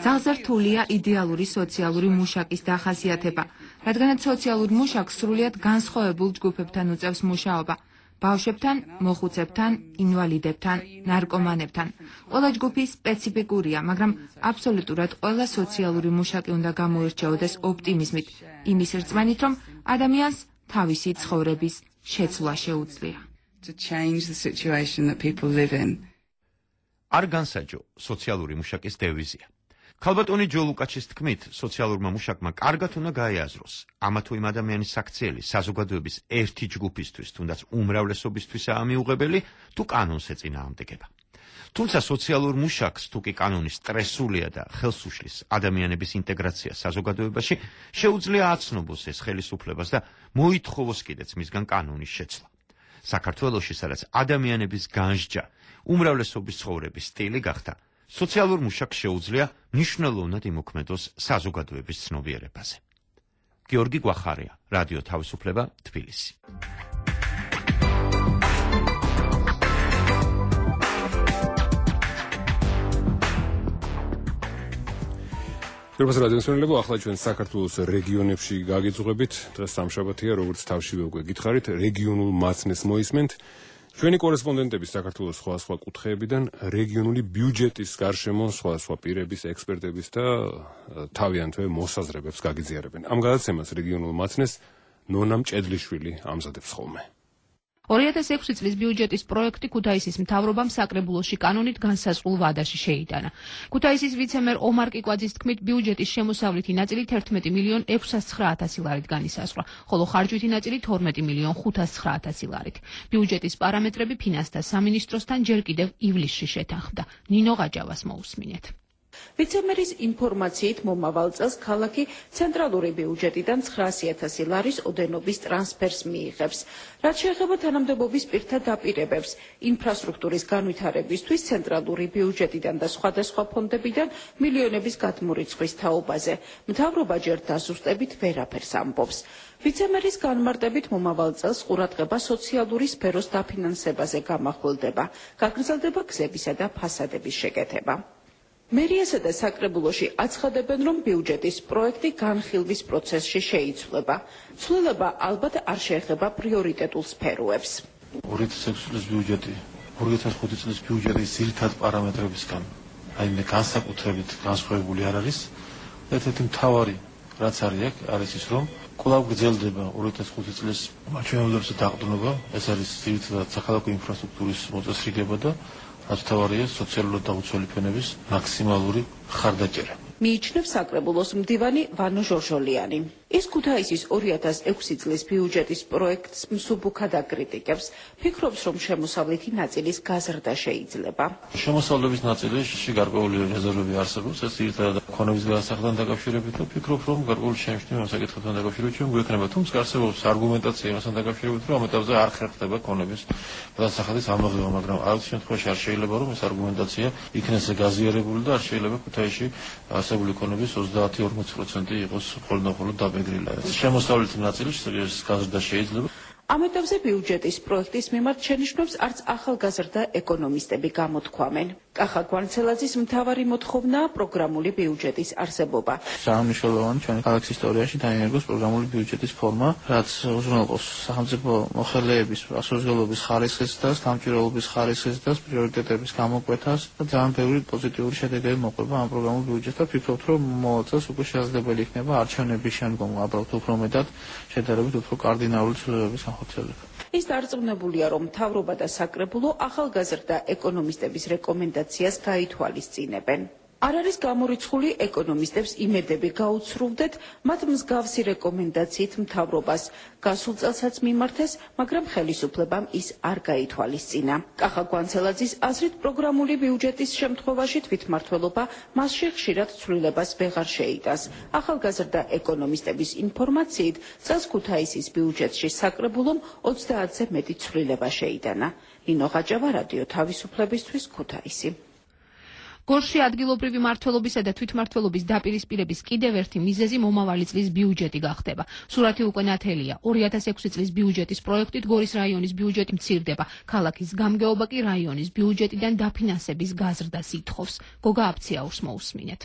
ძალზე რთულია იდეალური სოციალური მუშაკის დახასიათება, რადგანაც სოციალურ მუშაკს სრულიად განსხვავებულ ჯგუფებთან უწევს მუშაობა. ბავშვებთან, მოხუცებთან, ინვალიდებთან, ნარკომანებთან. ყველა ჯგუფი სპეციფიკურია, მაგრამ აბსოლუტურად ყველა სოციალური მუშაკი უნდა გამოირჩეოდეს ოპტიმიზმით, იმის რწმენით, რომ ადამიანს თავისი ცხოვრების შეცვლა შეუძლია. არ განსაჯო სოციალური მუშაკის დევიზია. ქალბატონი ჯო ლუკაჩის თქმით, სოციალურმა მუშაკმა კარგად უნდა გაეაზროს ამა თუ იმ ადამიანის საქციელი საზოგადოების ერთი ჯგუფისთვის, თუნდაც უმრავლესობისთვისაა მიუღებელი, თუ კანონს ეწინააღმდეგება. თუმცა სოციალურ მუშაკს თუ კი კანონი სტრესულია და ხელს უშლის ადამიანების ინტეგრაცია საზოგადოებაში, შეუძლია აცნობოს ეს ხელისუფლებას და მოითხოვოს კიდეც მისგან კანონის შეცვლა. საქართველოში, სადაც ადამიანების განსჯა უმრავლესობის ცხოვრების სტილი გახდა, სოციალურ მუშაკს შეუძლია მნიშვნელოვნად იმოქმედოს საზოგადოების ცნობიერებაზე. გიორგი გვახარია, რადიო თავისუფლება, თბილისი. პირველ რადიოსმენელებო, ახლა ჩვენ საქართველოს რეგიონებში გაგიძღვებით. დღეს სამშაბათია, როგორც თავშივე უკვე გითხარით, რეგიონულ მაცნეს მოისმენთ. ჩვენი კორესპონდენტები საქართველოს სხვადასხვა კუთხეებიდან რეგიონული ბიუჯეტის გარშემო სხვადასხვა პირების, ექსპერტების და თავიანთვე მოსაზრებებს გაგიზიარებენ. ამ გადაცემას რეგიონულ მაცნეს ნონა მჭედლიშვილი ამზადებს ხოლმე. 2006 წლის ბიუჯეტის პროექტი ქუთაისის მთავრობამ საკრებულოში კანონით განსაზღვრულ ვადაში შეიტანა. ქუთაისის ვიცემერ ომარ კიკვაძის თქმით, ბიუჯეტის შემოსავლითი ნაწილი 11 მილიონ 609,000 ლარით განისაზღვრა, ხოლო ხარჯვითი ნაწილი 12 მილიონ 509,000 ლარით. ბიუჯეტის პარამეტრები ფინანსთა სამინისტროსთან ჯერ კიდევ ივლისში შეთანხმდა. ნინო გაჯავას მოусმინეთ. ვიცემერის ინფორმაციით მომავალ წელს ქალაქი ცენტრალური ბიუჯეტიდან 900,000 ლარის ოდენობის ტრანსფერს მიიღებს. რაც შეეხება თანამდებობის პირთა დაპირებებს, ინფრასტრუქტურის განვითარებისთვის ცენტრალური ბიუჯეტიდან და სხვადასხვა ფონდებიდან მილიონების გადმორიცხვის თაობაზე, მთავრობა ჯერ დაზუსტებით ვერაფერს ამბობს. ვიცემერის განმარტებით მომავალ წელს ყურადღება სოციალური სფეროს დაფინანსებაზე გამახვილდება, გაგრძელდება გზებისა და ფასადების შეკეთება. მერიასა და საკრებულოში აცხადებენ, რომ ბიუჯეტის პროექტი განხილვის პროცესში შეიცვლება. ცვლილება ალბათ არ შეეხება პრიორიტეტულ სფეროებს. 2006 წლის ბიუჯეტი 2005 წლის ბიუჯეტის ძირითად პარამეტრებისგან რაიმე განსაკუთრებით განსხვავებული არ არის. ერთ-ერთი მთავარი რაც არის ის, რომ კვლავ გრძელდება 2005 წლის მაჩვენებლებზე დაყრდნობა, ეს არის ძირითადად საქალაქო ინფრასტრუქტურის მოწესრიგება და რაც თავარია სოციალურად დაუცველი ფენების მაქსიმალური ხარდაჭერა. მიიჩნევს საკრებულოს მდივანი ვანო ჟორჟოლიანი. ის ქუთაისის 2006 წლის ბიუჯეტის პროექტს მსუბუქად აკრიტიკებს. ფიქრობს, რომ შემოსავლითი ნაწილის გაზრდა შეიძლება. შემოსავლების ნაწილში გარკვეული რეზერვები არსებობს, ეს ერთად ქონების განსახლთან დაკავშირებით და ფიქრობ, რომ გარკვეული შემჩნევა ამ საკითხთან დაკავშირებით ჩვენ გვექნება, თუმცა არსებობს არგუმენტაცია იმასთან დაკავშირებით, რომ ამ ეტაპზე არ ხერხდება ქონების განსახადის ამოღება, მაგრამ ამ შემთხვევაში არ შეიძლება, რომ ეს არგუმენტაცია იქნეს გაზიარებული და არ შეიძლება ქუთაისში არსებული ქონების 30-40% იყოს ხოლმე დაბეგრილა. შემოსავლითი ნაწილში გაზრდა შეიძლება. ამ ეტაპზე ბიუჯეტის პროექტის მიმართ შენიშვნებს არც ახალგაზრდა ეკონომისტები გამოთქვამენ. კახა გვანცელაძის მთავარი მოთხოვნაა პროგრამული ბიუჯეტის არსებობა. სამნიშნელოვანი ჩვენი ქალაქის ისტორიაში დაინერგოს პროგრამული ბიუჯეტის ფორმა, რაც უზრუნველყოფს სახელმწიფო მოხელეების პასუხისმგებლობის ხარისხის და სამჭირველობის ხარისხის და პრიორიტეტების გამოკვეთას და ძალიან ბევრი პოზიტიური შედეგები მოყვება ამ პროგრამულ ბიუჯეტს და ფიქრობთ, რომ მოწელს უკვე შესაძლებელი იქნება არჩევნების შემდგომ უბრალოდ უფრო მეტად შედარებით უფრო კარდინალური ცვლილებების განხორციელება. ის დარწმუნებულია, რომ მთავრობა და საკრებულო ახალგაზრდა ეკონომისტების რეკომენდაციას გაითვალისწინებენ. არ არის გამორიცხული ეკონომისტებს იმედები გაუცრუვდეთ მათ მსგავსი რეკომენდაციით მთავრობას. გასულ წელსაც მიმართეს, მაგრამ ხელისუფლებამ ის არ გაითვალისწინა. კახა გვანცელაძის აზრით პროგრამული ბიუჯეტის შემთხვევაში თვითმმართველობა მასში ხშირად ცვლილებას ვეღარ შეიტანს. ახალგაზრდა ეკონომისტების ინფორმაციით, წელს ქუთაისის ბიუჯეტში საკრებულომ 30-ზე მეტი ცვლილება შეიტანა. ნინო ღაჭავა, რადიო თავისუფლებისთვის, ქუთაისი. გორში ადგილობრივი მმართველობისა და თვითმმართველობის დაპირისპირების კიდევ ერთი მიზეზი მომავალი წლის ბიუჯეტი გახდება. სურათი უკვე ნათელია. 2006 წლის ბიუჯეტის პროექტით გორის რაიონის ბიუჯეტი მცირდება. ქალაქის გამგეობა კი რაიონის ბიუჯეტიდან დაფინანსების გაზრდას ითხოვს. გოგა აფციაურს მოусმინეთ.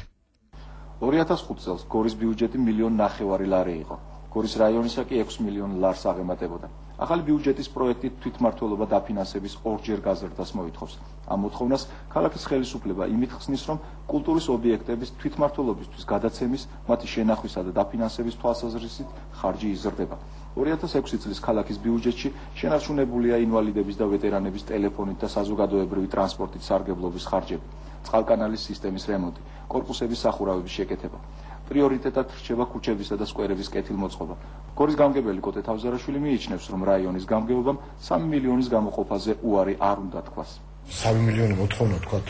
2005 წელს გორის ბიუჯეტი 1,5 მილიონი ლარი იყო. გორის რაიონისა კი 6 მილიონი ლარს აღემატებოდა. ახალი ბიუჯეტის პროექტით თვითმმართველობა დაფინანსების ორჯერ გაზრდას მოითხოვს. ამ მოთხოვნას ქალაქის ხელისუფლება იმით ხსნის, რომ კულტურის ობიექტების თვითმმართველობისთვის გადაცემის, მათი შენახვისა და დაფინანსების თვალსაზრისით ხარჯი იზრდება. 2006 წლის ქალაქის ბიუჯეტში შენარჩუნებულია ინვალიდების და ვეტერანების ტელეფონით და საზოგადოებრივი ტრანსპორტით სარგებლობის ხარჯები, წყალკანალის სისტემის რემონტი, კორპუსების სახურავების შეკეთება. პრიორიტეტად რჩება ქუჩებისა და სკვერების კეთილმოწყობა. გორის გამგებელი კოტე თავზარაშვილი მიიჩნევს, რომ რაიონის გამგეობამ 3 მილიონის გამოყოფაზე უარი არ უნდა თქვას. 3 მილიონი მოთხოვნა თქვათ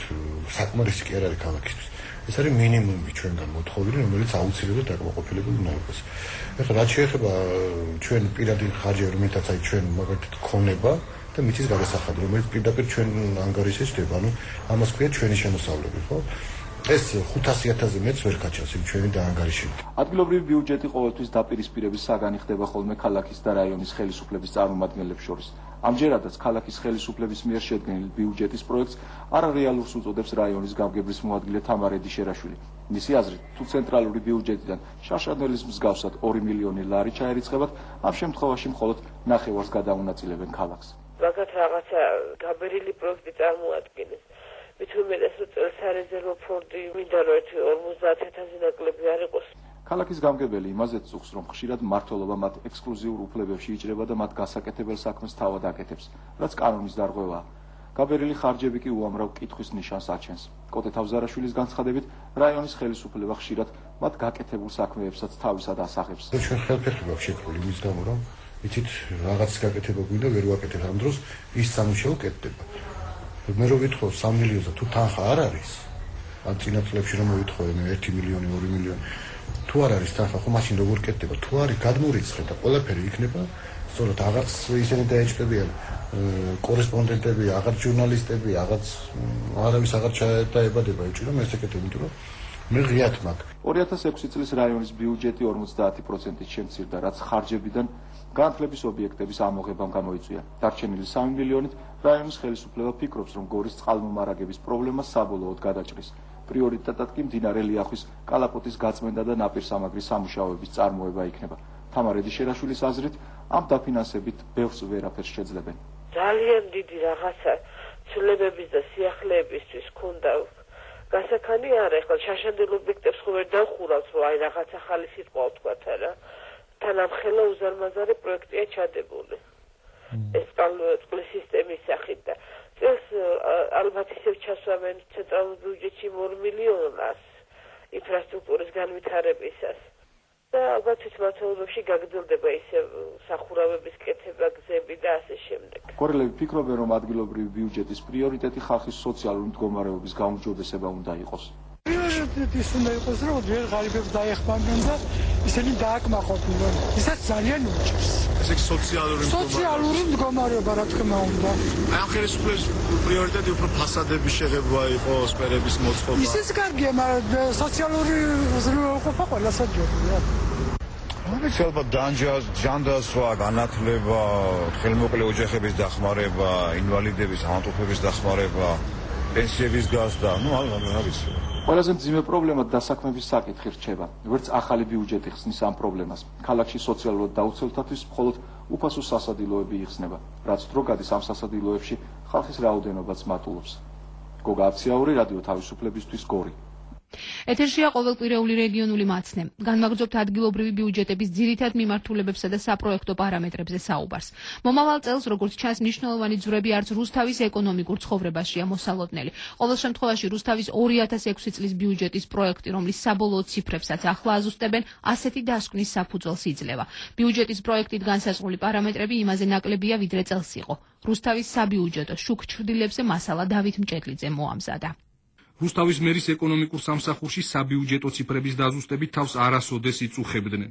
საკმარისი კი არ არის ქალაქისთვის. ეს არის მინიმუმი ჩვენგან მოთხოვილი, რომელიც აუცილებლად დაკმაყოფილებული უნდა იყოს. ეხლა რაც შეეხება ჩვენ პირადი ხარჯები, რომელთაც აი ჩვენ მაგალითად ქონება და მიწის გადასახადი, რომელიც პირდაპირ ჩვენ ანგარიშში ხდება, ანუ ამას ქვია ჩვენი შემოსავლები, ხო? ეს 500.000-ზე მეც ვერ გაჩანს იმ ჩვენი დაანგარიშებით. ადგილობრივი ბიუჯეტი ყოველთვის დაპირისპირების საგანი ხდება ხოლმე ქალაქის და რაიონის ხელისუფლების წარმომადგენლებს შორის. ამჯერადაც ქალაქის ხელისუფლების მიერ შედგენილ ბიუჯეტის პროექტს არარეალურს უწოდებს რაიონის გამგებლის მოადგილე თამარ ედიშერაშვილი. მისი აზრით, თუ ცენტრალური ბიუჯეტიდან შარშანელის მსგავსად 2 მილიონი ლარი ჩაერიცხებათ, ამ შემთხვევაში მხოლოდ ნახევარს გადაუნაწილებენ ქალაქს. მაგათ რაღაცა გაბერილი პროექტი წარმოადგენს. მithumedes წელს სარეზერვო ფონდი მინდა რომ 50,000 ნაკლები არ იყოს. ქალაქის გამგებელი იმაზეც წუხს, რომ ხშირად მმართველობა მათ ექსკლუზიურ უფლებებში იჭრება და მათ გასაკეთებელ საქმეს თავად აკეთებს, რაც კანონის დარღვევაა. გაბერილი ხარჯები კი უამრავ კითხვის ნიშანს აჩენს. კოტე თავზარაშვილის განცხადებით, რაიონის ხელისუფლება ხშირად მათ გაკეთებულ საქმეებსაც თავისად ასახებს. ჩვენ ხელფეხება შექმნილი იმის გამო, რომ იცით რაღაც გაკეთება გვინდა ვერ ვაკეთებ ამ დროს ის სამუშაო კეთდება. მე რო ვითხოვ 3 მილიონზე თუ თანხა არ არის, ან წინა წლებში რომ მოვითხოვე მე 1 მილიონი, 2 მილიონი, თუ არ არის თანხა, ხო მაშინ როგორ კეთდება? თუ არის გადმორიცხე და ყველაფერი იქნება, სწორედ რაღაც ისინი დაეჭდებიან კორესპონდენტები, აღარ ჟურნალისტები, არავის აღარ ჩაეებადება ეჭვი რომ ეს ეკეთებ, იმიტომ რომ მე ღიად მაქვს. 2006 წლის რაიონის ბიუჯეტი 50%-ით შემცირდა, რაც ხარჯებიდან განათლების ობიექტების ამოღებამ გამოიწვია. დარჩენილი 3 მილიონით რაიონის ხელისუფლება ფიქრობს, რომ გორის წყალმომარაგების პრობლემას საბოლოოდ გადაჭრის. პრიორიტეტად კი მდინარე ლიახვის კალაპოტის გაწმენდა და ნაპირსამაგრის სამუშაოების წარმოება იქნება. თამარ ედიშერაშვილის აზრით, ამ დაფინანსებით ბევრს ვერაფერს შეძლებენ. ძალიან დიდი რაღაცა ცვლილებების და სიახლეებისთვის ქონდა გასახანი არა, ეხლა შაშანდელ ობიექტებს ხო ვერ დავხურავთ, რომ აი რაღაც ახალი სიტყვა ვთქვათ არა. თანამხელა უზარმაზარი პროექტია ჩადებული. ეს წყლის სისტემის სახით და წელს ალბათ ისევ ჩასვამენ ცენტრალურ ბიუჯეტში 2 მილიონ ლარს ინფრასტრუქტურის განვითარებისას. და ალბათ თვითმმართველობებში გაგრძელდება ისევ სახურავების კეთება, გზები და ასე შემდეგ. კორელები ფიქრობენ, რომ ადგილობრივი ბიუჯეტის პრიორიტეტი ხალხის სოციალური მდგომარეობის გაუმჯობესება უნდა იყოს. ის უნდა იყოს, რომ ვერ ღარიბებს დაეხმარნენ და ისინი დააკმაყოფილონ. ისაც ძალიან უჭირს. ესე იგი სოციალური მდგომარეობა, რა თქმა უნდა. აი ამ ხელისუფლების პრიორიტეტი უფრო ფასადების შეღება იყოს, სკვერების მოწყობა. ისიც კარგია, მაგრამ სოციალური უზრუნველყოფა ყველასაც ჯობია. არის ალბათ ჯანდაცვა, განათლება, ხელმოკლე ოჯახების დახმარება, ინვალიდების, ავადმყოფების დახმარება, პენსიების გაზრდა, რა ვიცი. ყველაზე მძიმე პრობლემა დასაქმების საკითხი რჩება. ვერც ახალი ბიუჯეტი ხსნის ამ პრობლემას. ქალაქში სოციალურად დაუცველთათვის მხოლოდ უფასო სასადილოები იხსნება, რაც დრო გადის ამ სასადილოებში ხალხის რაოდენობაც მატულობს. გოგა აფციაური, რადიო თავისუფლებისთვის გორი. ეთერშია ყოველკვირეული რეგიონული მაცნე. განმაგრძობთ ადგილობრივი ბიუჯეტების ძირითად მიმართულებებსა და საპროექტო პარამეტრებზე საუბარს. მომავალ წელს, როგორც ჩანს, მნიშვნელოვანი ძვრები არც რუსთავის ეკონომიკურ ცხოვრებაშია მოსალოდნელი. ყოველ შემთხვევაში რუსთავის 2006 წლის ბიუჯეტის პროექტი, რომლის საბოლოო ციფრებსაც ახლა აზუსტებენ, ასეთი დასკვნის საფუძველს იძლევა. ბიუჯეტის პროექტით განსაზღვრული პარამეტრები იმაზე ნაკლებია, ვიდრე წელს იყო. რუსთავის საბიუჯეტო შუქ ჩრდილებზე მასალა დავით მჭედლიძემ მოამზადა. რუსთავის მერის ეკონომიკურ სამსახურში საბიუჯეტო ციფრების დაზუსტებით თავს არასოდეს იწუხებდნენ.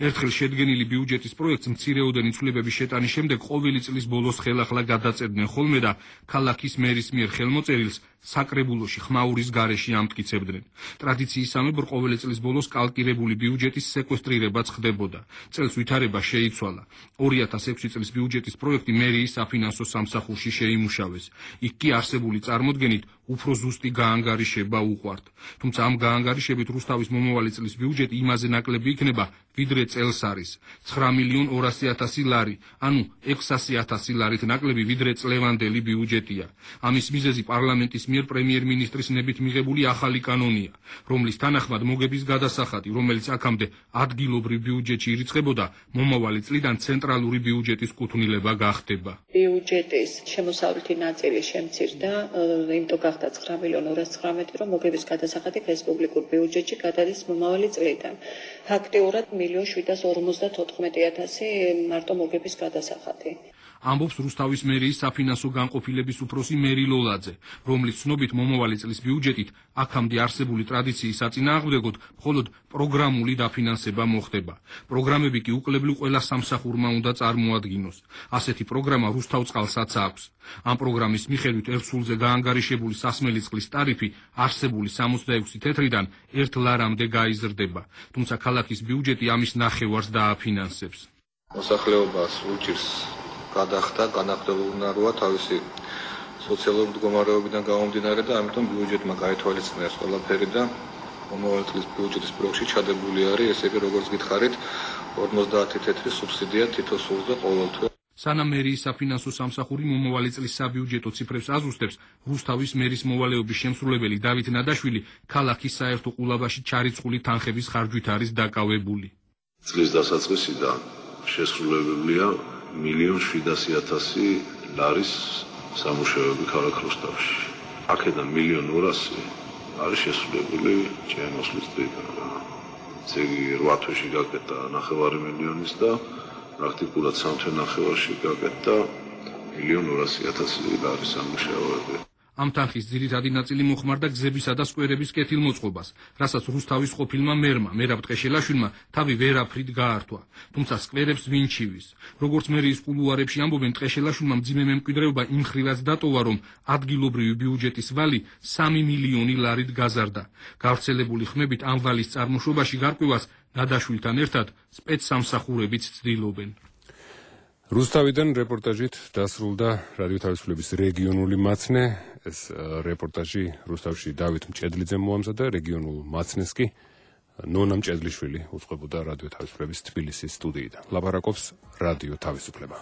ერთხელ შედგენილი ბიუჯეტის პროექტს მცირეოდენი ცვლილებების შეტანის შემდეგ ყოველი წლის ბოლოს ხელახლა გადაწერდნენ ხოლმე და ქალაქის მერის მიერ ხელმოწერილს საკრებულოში ხმაურის გარეშე ამტკიცებდნენ. ტრადიციისამებრ ყოველი წლის ბოლოს კალკირებული ბიუჯეტის სეკვესტრირებაც ხდებოდა. წელს ვითარება შეიცვალა. 2006 წლის ბიუჯეტის პროექტი მერიის საფინანსო სამსახურში შეიმუშავეს. იქ კი არსებული წარმოდგენით უფრო ზუსტი გაანგარიშება უყვართ. თუმცა ამ გაანგარიშებით რუსთავის მომავალი წლის ბიუჯეტი იმაზე ნაკლები იქნება, ვიდრე წელს არის 9.200.000 ლარი, ანუ 600.000 ლარით ნაკლები, ვიდრე წლევანდელი ბიუჯეტია. ამის მიზეზი პარლამენტის მიერ პრემიერ-მინისტრის ნებით მიღებული ახალი კანონია, რომლის თანახმად მოგების გადასახადი, რომელიც აქამდე ადგილობრივ ბიუჯეტში ირიცხებოდა, მომავალი წლიდან ცენტრალური ბიუჯეტის კუთვნილება გახდება. ბიუჯეტის შემოსავლითი ნაწილი შემცირდა, იმიტომ გახდა 9.219, რომ მოგების გადასახადი რესპუბლიკურ ბიუჯეტში გადადის მომავალი წლიდან. ფაქტიურად 1.754.000 მარტო მოგების გადასახადი. ამბობს რუსთავის მერიის საფინანსო განყოფილების უფროსი მერი ლოლაძე, რომლის ცნობით მომავალი წლის ბიუჯეტით აქამდე არსებული ტრადიციის საწინააღმდეგოდ მხოლოდ პროგრამული დაფინანსება მოხდება. პროგრამები კი უკლებლივ ყველა სამსახურმა უნდა წარმოადგინოს. ასეთი პროგრამა რუსთავწყალსაც აქვს. ამ პროგრამის მიხედვით ერთ სულზე გაანგარიშებული სასმელი წყლის ტარიფი არსებული 66 თეთრიდან 1 ლარამდე გაიზრდება, თუმცა ქალაქის ბიუჯეტი ამის ნახევარს დააფინანსებს. მოსახლეობას უჭირს გადახდა განახლებული თავისი სოციალური მდგომარეობიდან გამომდინარე და ამიტომ ბიუჯეტმა გაითვალისწინეს ყველაფერი და მომავალი წლის ბიუჯეტის პროექტში ჩადებული არის, ესე იგი როგორც გითხარით, 50 თეთრი სუბსიდია თითო სულზე ყოველთვე. სანამ მერიის საფინანსო სამსახური მომავალი წლის საბიუჯეტო ციფრებს აზუსტებს, რუსთავის მერის მოვალეობის შემსრულებელი დავით ნადაშვილი ქალაქის საერთო ყულაბაში ჩარიცხული თანხების ხარჯვით არის დაკავებული. წლის დასაწყისიდან შესრულებულია 1.700.000 ლარის სამუშაოები ქალაქ რუსთავში. აქედან 1.200.000 არის შესრულებული ჭიანოსლის დღიდან. ესე იგი 8 თვეში გაკეთა 9 მილიონის და პრაქტიკულად 3 თვე-ნახევარში გაკეთდა 1.200.000 ლარის სამუშაოები. ამ თანხის ძირითადი ნაწილი მოხმარდა გზებისა და სკვერების კეთილმოწყობას, რასაც რუსთავის ყოფილმა მერმა, მერაბ ტყეშელაშვილმა თავი ვერაფრით გაართვა. თუმცა სკვერებს ვინ ჩივის? როგორც მერიის კულუარებში ამბობენ, ტყეშელაშვილმა მძიმე მემკვიდრეობა იმ ხრივაც დატოვა, რომ ადგილობრივი ბიუჯეტის ვალი 3 მილიონი ლარით გაზარდა. გავრცელებული ხმებით ამ ვალის წარმოშობაში გარკვევას ნადაშვილთან ერთად სპეცსამსახურებიც ცდილობენ. რუსთავიდან რეპორტაჟით დასრულდა რადიო თავისუფლების რეგიონული მაცნე. ეს რეპორტაჟი რუსთავში დავით მჭედლიძემ მოამზადა, რეგიონულ მაცნეს კი ნონა მჭედლიშვილი უწყებოდა რადიო თავისუფლების თბილისის სტუდიიდან. ლაპარაკობს რადიო თავისუფლება.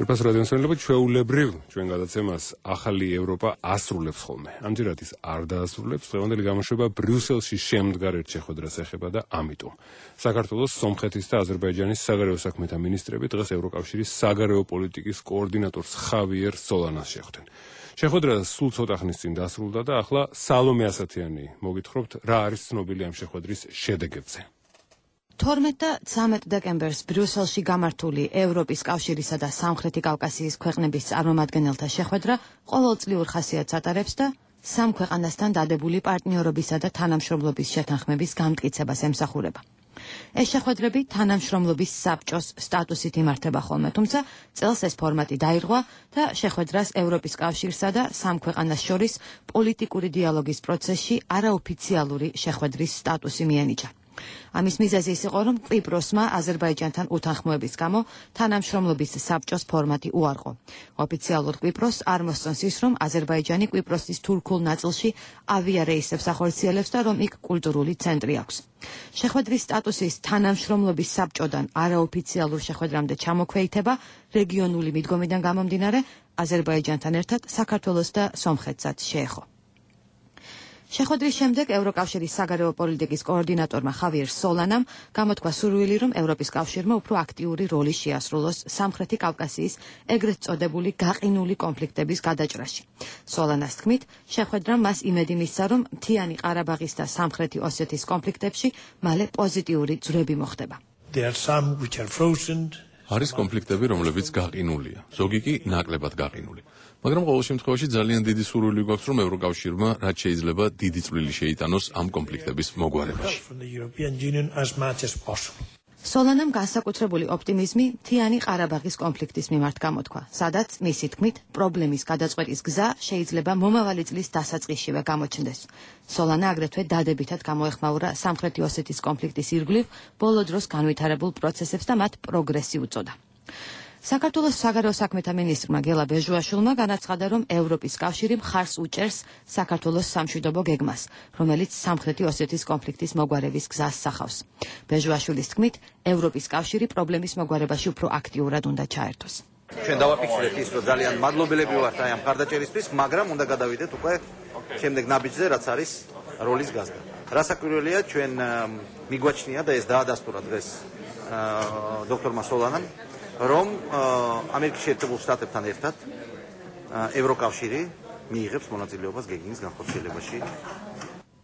Pēc radiosonelaba ჩვეულებრივ ჩვენ გადაცემას ახალი ევროპა ასრულებს ხოლმე. ამჯერად ის არ დაასრულებს, დღევანდელი გამოშვება ბრიუსელში შემდგარ ერთ შეხვედრას ეხება და ამიტომ საქართველოს, სომხეთის და აზერბაიჯანის საგარეო საქმეთა მინისტრები დღეს ევროკავშირის საგარეო პოლიტიკის კოორდინატორს ხავიერ სოლანას შეხვდნენ. შეხვედრა სულ ცოტა ხნის წინ დასრულდა და ახლა სალომე ასათიანი მოგითხრობთ, რა არის ცნობილი ამ შეხვედრის შედეგებზე. 12 და 13 დეკემბერს ბრიუსელში გამართული ევროპის კავშირისა და სამხრეთი კავკასიის ქვეყნების წარმომადგენელთა შეხვედრა ყოველწლიურ ხასიათს ატარებს და სამ ქვეყანასთან დადებული პარტნიორობისა და თანამშრომლობის შეთანხმების გამტკიცებას ემსახურება. ეს შეხვედრები თანამშრომლობის საბჭოს სტატუსით იმართება ხოლმე, თუმცა წელს ეს ფორმატი დაირღვა და შეხვედრას ევროპის კავშირსა და სამ ქვეყანას შორის პოლიტიკური დიალოგის პროცესში არაოფიციალური შეხვედრის სტატუსი მიენიჭა. ამის მიზეზი ის იყო, რომ კვიპროსმა აზერბაიჯანთან უთანხმოების გამო თანამშრომლობის საბჭოს ფორმატი უარყო. ოფიციალურ კვიპროსს არ მოსწონს ის, რომ აზერბაიჯანი კვიპროსის თურქულ ნაწილში ავიარეისებს ახორციელებს და რომ იქ კულტურული ცენტრი აქვს. შეხვედრის სტატუსის თანამშრომლობის საბჭოდან არაოფიციალურ შეხვედრამდე ჩამოქვეითება რეგიონული მიდგომიდან გამომდინარე აზერბაიჯანთან ერთად საქართველოს და სომხეთსაც შეეხო. შეხვედრის შემდეგ ევროკავშირის საგარეო პოლიტიკის კოორდინატორმა ხავიერ სოლანამ გამოთქვა სურვილი, რომ ევროპის კავშირმა უფრო აქტიური როლი შეასრულოს სამხრეთი კავკასიის ეგრეთ წოდებული გაყინული კონფლიქტების გადაჭრაში. სოლანას თქმით, შეხვედრამ მას იმედი მისცა, რომ მთიანი ყარაბაღის და სამხრეთი ოსეთის კონფლიქტებში მალე პოზიტიური ძვრები მოხდება. არის კონფლიქტები, რომლებიც გაყინულია, ზოგი კი ნაკლებად გაყინული. მაგრამ ყოველ შემთხვევაში ძალიან დიდი სურვილი გვაქვს, რომ ევროკავშირმა რაც შეიძლება დიდი წვლილი შეიტანოს ამ კონფლიქტების მოგვარებაში. სოლანამ განსაკუთრებული ოპტიმიზმი მთიანი ყარაბაღის კონფლიქტის მიმართ გამოთქვა, სადაც მისი თქმით, პრობლემის გადაწყვეტის გზა შეიძლება მომავალი წლის დასაწყისშივე გამოჩნდეს. სოლანა აგრეთვე დადებითად გამოეხმაურა სამხრეთი ოსეთის კონფლიქტის ირგვლივ ბოლო დროს განვითარებულ პროცესებს და მათ პროგრესი უწოდა. საქართველოს საგარეო საქმეთა მინისტრმა გელა ბეჟუაშვილმა განაცხადა, რომ ევროპის კავშირი მხარს უჭერს საქართველოს სამშვიდობო გეგმას, რომელიც სამხრეთი ოსეთის კონფლიქტის მოგვარების გზას სახავს. ბეჟუაშვილის თქმით, ევროპის კავშირი პრობლემის მოგვარებაში უფრო აქტიურად უნდა ჩაერთოს. ჩვენ დავაფიქსირეთ ის, რომ ძალიან მადლობელები ვართ აი ამ მხარდაჭერისთვის, მაგრამ უნდა გადავიდეთ უკვე შემდეგ ნაბიჯზე, რაც არის როლის გაზრდა. რასაკვირველია, ჩვენ მიგვაჩნია და ეს დაადასტურა დღეს დოქტორმა სოლანამ, რომ ამერიკის შეერთებულ შტატებთან ერთად ევროკავშირი მიიღებს მონაწილეობას გეგმის განხორციელებაში.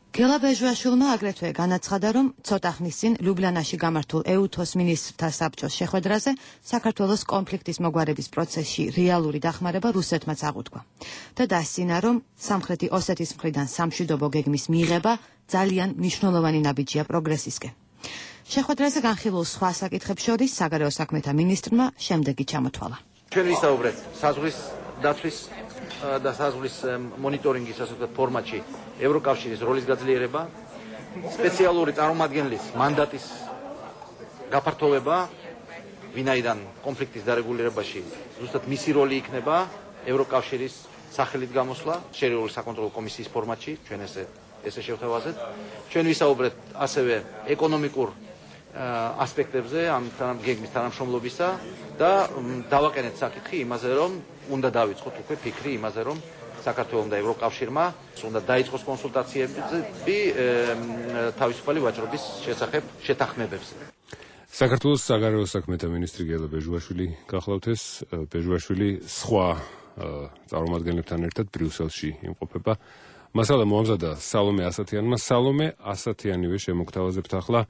გელა ბეჟუაშვილმა აგრეთვე განაცხადა, რომ ცოტა ხნის წინ ლიუბლიანაში გამართულ ეუთოს მინისტრთა საბჭოს შეხვედრაზე საქართველოს კონფლიქტის მოგვარების პროცესში რეალური დახმარება რუსეთმაც აღუთქვა და დასცინა, რომ სამხრეთი ოსეთის მხრიდან სამშვიდობო გეგმის მიღება ძალიან მნიშვნელოვანი ნაბიჯია პროგრესისკენ. შეხვედრაზე განხილულ სხვა საკითხებს შორის საგარეო საქმეთა მინისტრმა შემდეგი ჩამოთვალა. ჩვენ ვისაუბრეთ საზღვრის დაცვის და საზღვრის მონიტორინგის ასე ვთქვათ ფორმატში ევროკავშირის როლის გაძლიერება, სპეციალური წარმომადგენლის მანდატის გაფართოვება, ვინაიდან კონფლიქტის დარეგულირებაში ზუსტად მისი როლი იქნება ევროკავშირის სახელით გამოსვლა შერეული საკონტროლო კომისიის ფორმატში, ჩვენ ესე შევთავაზეთ. ჩვენ ვისაუბრეთ ასევე ეკონომიკურ ასპექტებზე ამ გეგმის თანამშრომლობისა და დავაყენეთ საკითხი იმაზე, რომ უნდა დავიწყოთ უკვე ფიქრი იმაზე, რომ საქართველოს და ევროკავშირმა უნდა დაიწყოს კონსულტაციები თავისუფალი ვაჭრობის შესახებ შეთანხმებებზე. საქართველოს საგარეო საქმეთა მინისტრი გელა ბეჟუაშვილი გახლავთ ეს ბეჟუაშვილი სხვა წარმომადგენლებთან ერთად ბრიუსელში იმყოფება. მასალა მოამზადა სალომე ასათიანმა. სალომე ასათიანივე შემოგთავაზებთ ახლა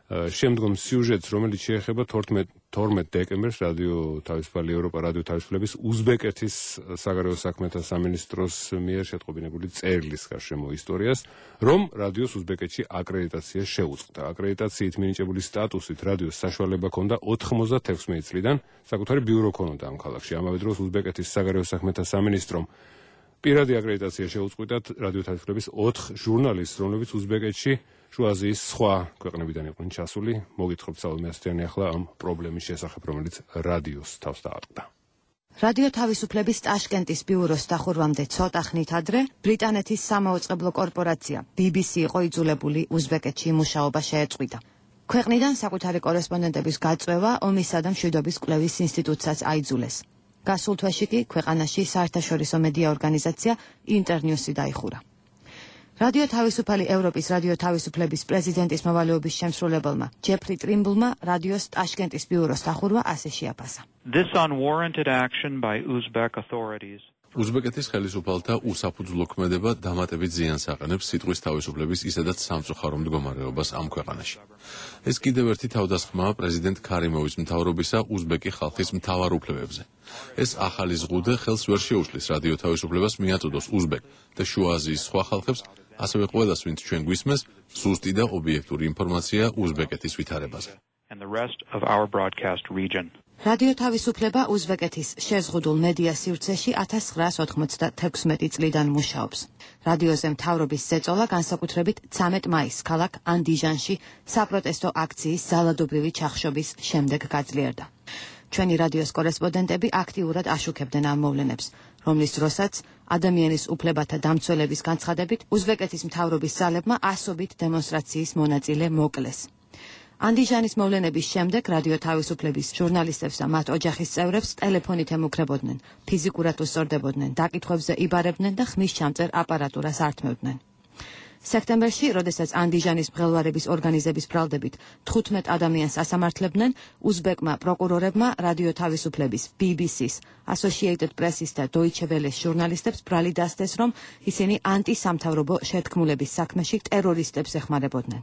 შემდგომ სიუჟეტს, რომელიც შეეხება 12 დეკემბერს რადიო თავისუფალი ევროპა რადიო თავისუფლების უზბეკეთის საგარეო საქმეთა სამინისტროს მიერ შეტყობინებული წერილის გარშემო ისტორიას, რომ რადიოს უზბეკეთში აკრედიტაცია შეუწყდა. აკრედიტაციით მინიჭებული სტატუსით რადიოს საშუალება ჰქონდა 96 წლიდან საკუთარი ბიურო ჰქონოდა ამ ქალაქში. ამავე დროს უზბეკეთის საგარეო საქმეთა სამინისტრომ პირადი აკრედიტაცია შეუწყვიტათ რადიო თავისუფლების 4 ჟურნალისტს, რომლებიც უზბეკეთში შუა აზიის სხვა ქვეყნებიდან იყვნენ ჩასული. მოგითხრობთ სალომე ასათიანი ახლა ამ პრობლემის შესახებ, რომელიც რადიოს თავს დაატყდა. რადიო თავისუფლების ტაშკენტის ბიუროს დახურვამდე ცოტა ხნით ადრე ბრიტანეთის სამაუწყებლო კორპორაცია BBC იყო იძულებული უზბეკეთში მუშაობა შეეწყვიტა. ქვეყნიდან საკუთარი კორესპონდენტების გაწვევა ომისა და მშვიდობის კვლევის ინსტიტუტსაც აიძულეს. გასულ თვეში კი ქვეყანაში საერთაშორისო მედია ორგანიზაცია ინტერნიუსი დაიხურა. რადიო თავისუფალი ევროპის რადიო თავისუფლების პრეზიდენტის მოვალეობის შემსრულებელმა ჯეფრი ტრიმბლმა რადიოს ტაშკენტის ბიუროს დახურვა ასე შეაფასა. This unwarranted action by Uzbek authorities უზბეკეთის ხელისუფალთა უსაფუძვლო ქმედება დამატებით ზიანს აყენებს სიტყვის თავისუფლების ისედაც სამწუხარო მდგომარეობას ამ ქვეყანაში. ეს კიდევ ერთი თავდასხმაა პრეზიდენტ ქარიმოვის მთავრობისა უზბეკი ხალხის მთავარ უფლებებზე. ეს ახალი ზღუდე ხელს ვერ შეუშლის რადიო თავისუფლებას მიაწოდოს უზბეკ და შუა აზიის სხვა ხალხებს, ასევე ყველას, ვინც ჩვენ გვისმენს, ზუსტი და ობიექტური ინფორმაცია უზბეკეთის ვითარებაზე. and the rest of our broadcast region. რადიო თავისუფლება უზბეკეთის შეზღუდულ მედია სივრცეში 1996 წლიდან მუშაობს. რადიოზე მთავრობის ზეწოლა განსაკუთრებით 13 მაისს ქალაქ ანდიჟანში საპროტესტო აქციის ძალადობრივი ჩახშობის შემდეგ გაძლიერდა. ჩვენი რადიოს კორესპონდენტები აქტიურად აშუქებდნენ ამ მოვლენებს, რომლის დროსაც ადამიანის უფლებათა დამცველების განცხადებით უზბეკეთის მთავრობის ძალებმა ასობით დემონსტრაციის მონაწილე მოკლეს. ანდიჟანის მოვლენების შემდეგ რადიო თავისუფლების ჟურნალისტებს და მათ ოჯახის წევრებს ტელეფონით ემუქრებოდნენ, ფიზიკურად უსწორდებოდნენ, დაკითხვებზე იბარებდნენ და ხმის ჩამწერ აპარატურას ართმევდნენ. სექტემბერში, როდესაც ანდიჟანის მღელვარების ორგანიზების ბრალდებით 15 ადამიანს ასამართლებდნენ, უზბეკმა პროკურორებმა რადიო თავისუფლების, BBC-ს, Associated Press-ის და Deutsche Welle-ის ჟურნალისტებს ბრალი დასდეს, რომ ისინი ანტისამთავრობო შეთქმულების საქმეში ტერორისტებს ეხმარებოდნენ.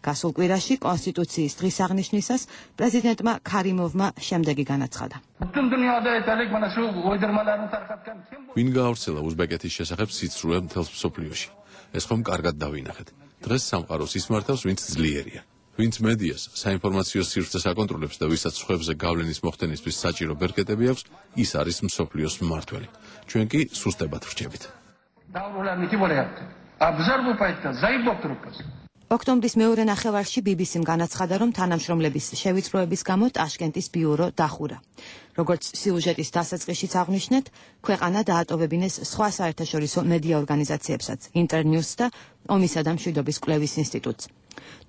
გასულ კვირაში კონსტიტუციის დღის აღნიშვნისას პრეზიდენტმა ქარიმოვმა შემდეგი განაცხადა. ვინ გაავრცელა უზბეკეთის შესახებ სიცრუე მთელს მსოფლიოში? ეს ხომ კარგად დავინახეთ. დღეს სამყაროს ისმართავს, ვინც ძლიერია. ვინც მედიას, საინფორმაციო სივრცეს აკონტროლებს და ვისაც სხვებზე გავლენის მოხდენისთვის საჭირო ბერკეტები აქვს, ის არის მსოფლიოს მმართველი. ჩვენ კი სუსტებად ვრჩებით. ოქტომბრის მეორე ნახევარში BBC-მ განაცხადა, რომ თანამშრომლების შევიწროების გამო ტაშკენტის ბიურო დახურა. როგორც სიუჟეტის დასაწყისშიც აღვნიშნეთ, ქვეყანა დაატოვებინეს სხვა საერთაშორისო მედია ორგანიზაციებსაც, ინტერნიუსს და ომისა და მშვიდობის კვლევის ინსტიტუტს.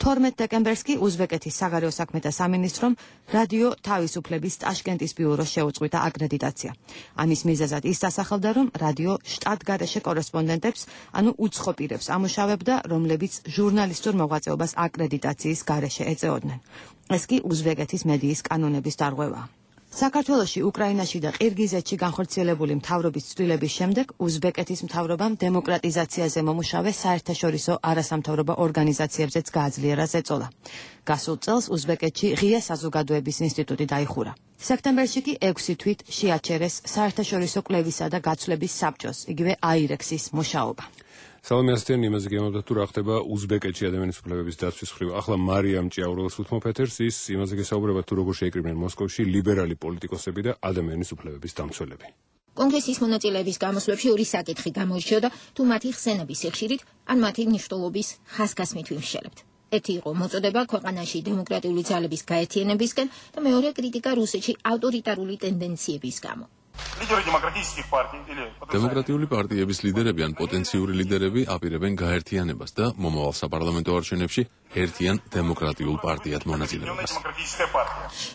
12 დეკემბერს კი უზბეკეთის საგარეო საქმეთა სამინისტრომ რადიო თავისუფლების ტაშკენტის ბიუროს შეუწყვიტა აკრედიტაცია. ამის მიზეზად ის დასახელდა, რომ რადიო შტატგარეშე კორესპონდენტებს, ანუ უცხო პირებს ამუშავებდა, რომლებიც ჟურნალისტურ მოღვაწეობას აკრედიტაციის გარეშე ეწეოდნენ. ეს კი უზბეკეთის მედიის კანონების დარღვევაა. საქართველოში, უკრაინაში და ყირგიზეთში განხორციელებული მთავრობის ცვლილების შემდეგ უზბეკეთის მთავრობამ დემოკრატიზაციაზე მომუშავე საერთაშორისო არასამთავრობო ორგანიზაციებზეც გააძლიერა ზეწოლა. გასულ წელს უზბეკეთში ღია საზოგადოების ინსტიტუტი დაიხურა. სექტემბერში კი 6 თვით შეაჩერეს საერთაშორისო კვლევისა და გაცვლების საბჭოს, იგივე აირექსის მუშაობა. სალამი ასტიანი, იმაზე გემოვდა თუ რა ხდება უზბეკეთში ადამიანის უფლებების დაცვის მხრივ. ახლა მარიამ ჭიაურელს უთმობ ეთერს, ის იმაზე გესაუბრება თუ როგორ შეიკრიბნენ მოსკოვში ლიბერალი პოლიტიკოსები და ადამიანის უფლებების დამცველები. კონგრესის მონაწილეების გამოსვლებში ორი საკითხი გამოირჩეოდა, თუ მათი ხსენების სიხშირით ან მათი მნიშვნელობის ხაზგასმით ვიმსჯელებთ. ერთი იყო მოწოდება ქვეყანაში დემოკრატიული ძალების გაერთიანებისკენ და მეორე კრიტიკა რუსეთში ავტორიტარული ტენდენციების გამო. დემოკრატიული პარტიების ლიდერები ან პოტენციური ლიდერები აპირებენ გაერთიანებას და მომავალ საპარლამენტო არჩევნებში ერთიან დემოკრატიულ პარტიად მონაწილეობას.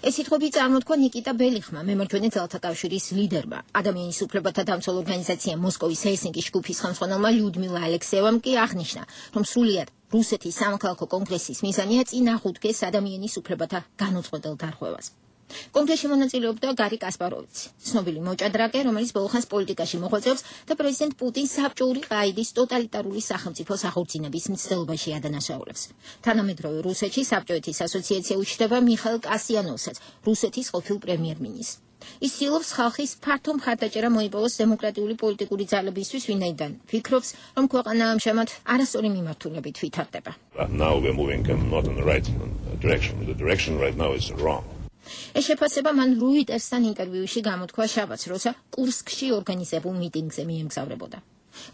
ეს სიტყვები წარმოთქვა ნიკიტა ბელიხმა, მემარჯვენე ძალთა კავშირის ლიდერმა. ადამიანის უფლებათა დამცველ ორგანიზაცია მოსკოვის ჰელსინკის ჯგუფის ხელმძღვანელმა ლიუდმილა ალექსეევამ კი აღნიშნა, რომ სრულიად რუსეთის სამოქალაქო კონგრესის მიზანია წინააღმდეგეს ადამიანის უფლებათა განუწყვეტელ დარღვევას. კონგრესში მონაწილეობდა გარი კასპაროვიცი, ცნობილი მოჭადრაკე, რომელიც ბოლოხანს პოლიტიკაში მოღვაწეობს და პრეზიდენტ პუტინს საბჭოური ყაიდის ტოტალიტარული სახელმწიფოს აღორძინების მცდელობაში ადანაშაულებს. თანამედროვე რუსეთში საბჭოეთის ასოციაცია უჩნდება მიხაილ კასიანოვსაც, რუსეთის ყოფილ პრემიერ-მინისტრს. ის ცდილობს ხალხის ფართო მხარდაჭერა მოიპოვოს დემოკრატიული პოლიტიკური ძალებისთვის, ვინაიდან ფიქრობს, რომ ქვეყანა ამჟამად არასწორი მიმართულებით ვითარდება. Now we're moving not in the right direction. The direction right now is wrong. ეს შეფასება მან როიტერსთან ინტერვიუში გამოთქვა შაბათს, როცა კურსკში ორგანიზებულ მიტინგზე მიემგზავრებოდა.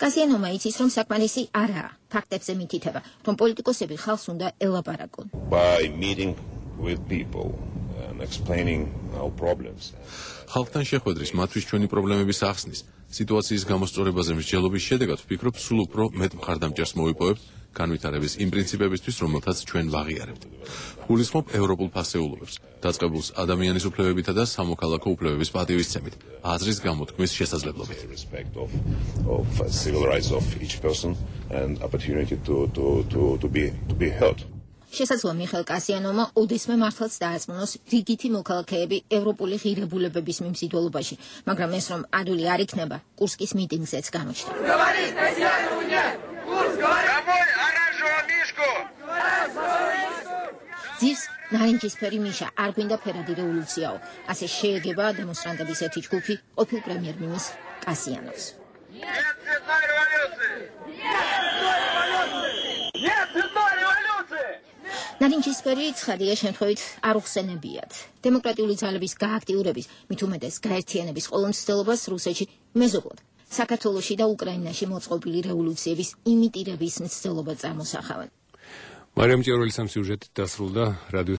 კასიანოვმა იცის, რომ საკმარისი არაა ფაქტებზე მითითება, რომ პოლიტიკოსები ხალხს უნდა ელაპარაკონ. By meeting with people and explaining our problems. ხალხთან შეხვედრის, მათთვის ჩვენი პრობლემების ახსნის, სიტუაციის გამოსწორებაზე მსჯელობის შედეგად ვფიქრობ, სულ უფრო მეტ მხარდამჭერს მოვიპოვებთ, განვითარების იმ პრინციპებისთვის, რომელთაც ჩვენ ვაღიარებთ. გულისხმობ ევროპულ ფასეულობებს, დაწყებულს ადამიანის უფლებებითა და სამოქალაქო უფლებების პატივისცემით, აზრის გამოთქმის შესაძლებლობით. შესაძლოა მიხეილ კასიანოვმა ოდესმე მართლაც დააწმუნოს რიგითი მოქალაქეები ევროპული ღირებულებების მიმზიდველობაში, მაგრამ ეს რომ ადვილი არ იქნება, კურსკის მიტინგზეც გამოჩნდა. ძირს ნარინჯისფერი მიშა არ გვინდა ფერადი რევოლუციაო, ასე შეეგება დემონსტრანტების ერთი ჯგუფი ყოფილ პრემიერ-მინისტრ კასიანოვს. ნარინჯისფერი ცხადია შემთხვევით არ უხსენებიათ. დემოკრატიული ძალების გააქტიურების, მით უმეტეს გაერთიანების ყოველ მცდელობას რუსეთში მეზობლად, საქართველოში და უკრაინაში მოწყობილი რევოლუციების იმიტირების მცდელობა წარმოსახავენ. მარიამ ჭიორველის ამ სიუჟეტით დასრულდა რადიო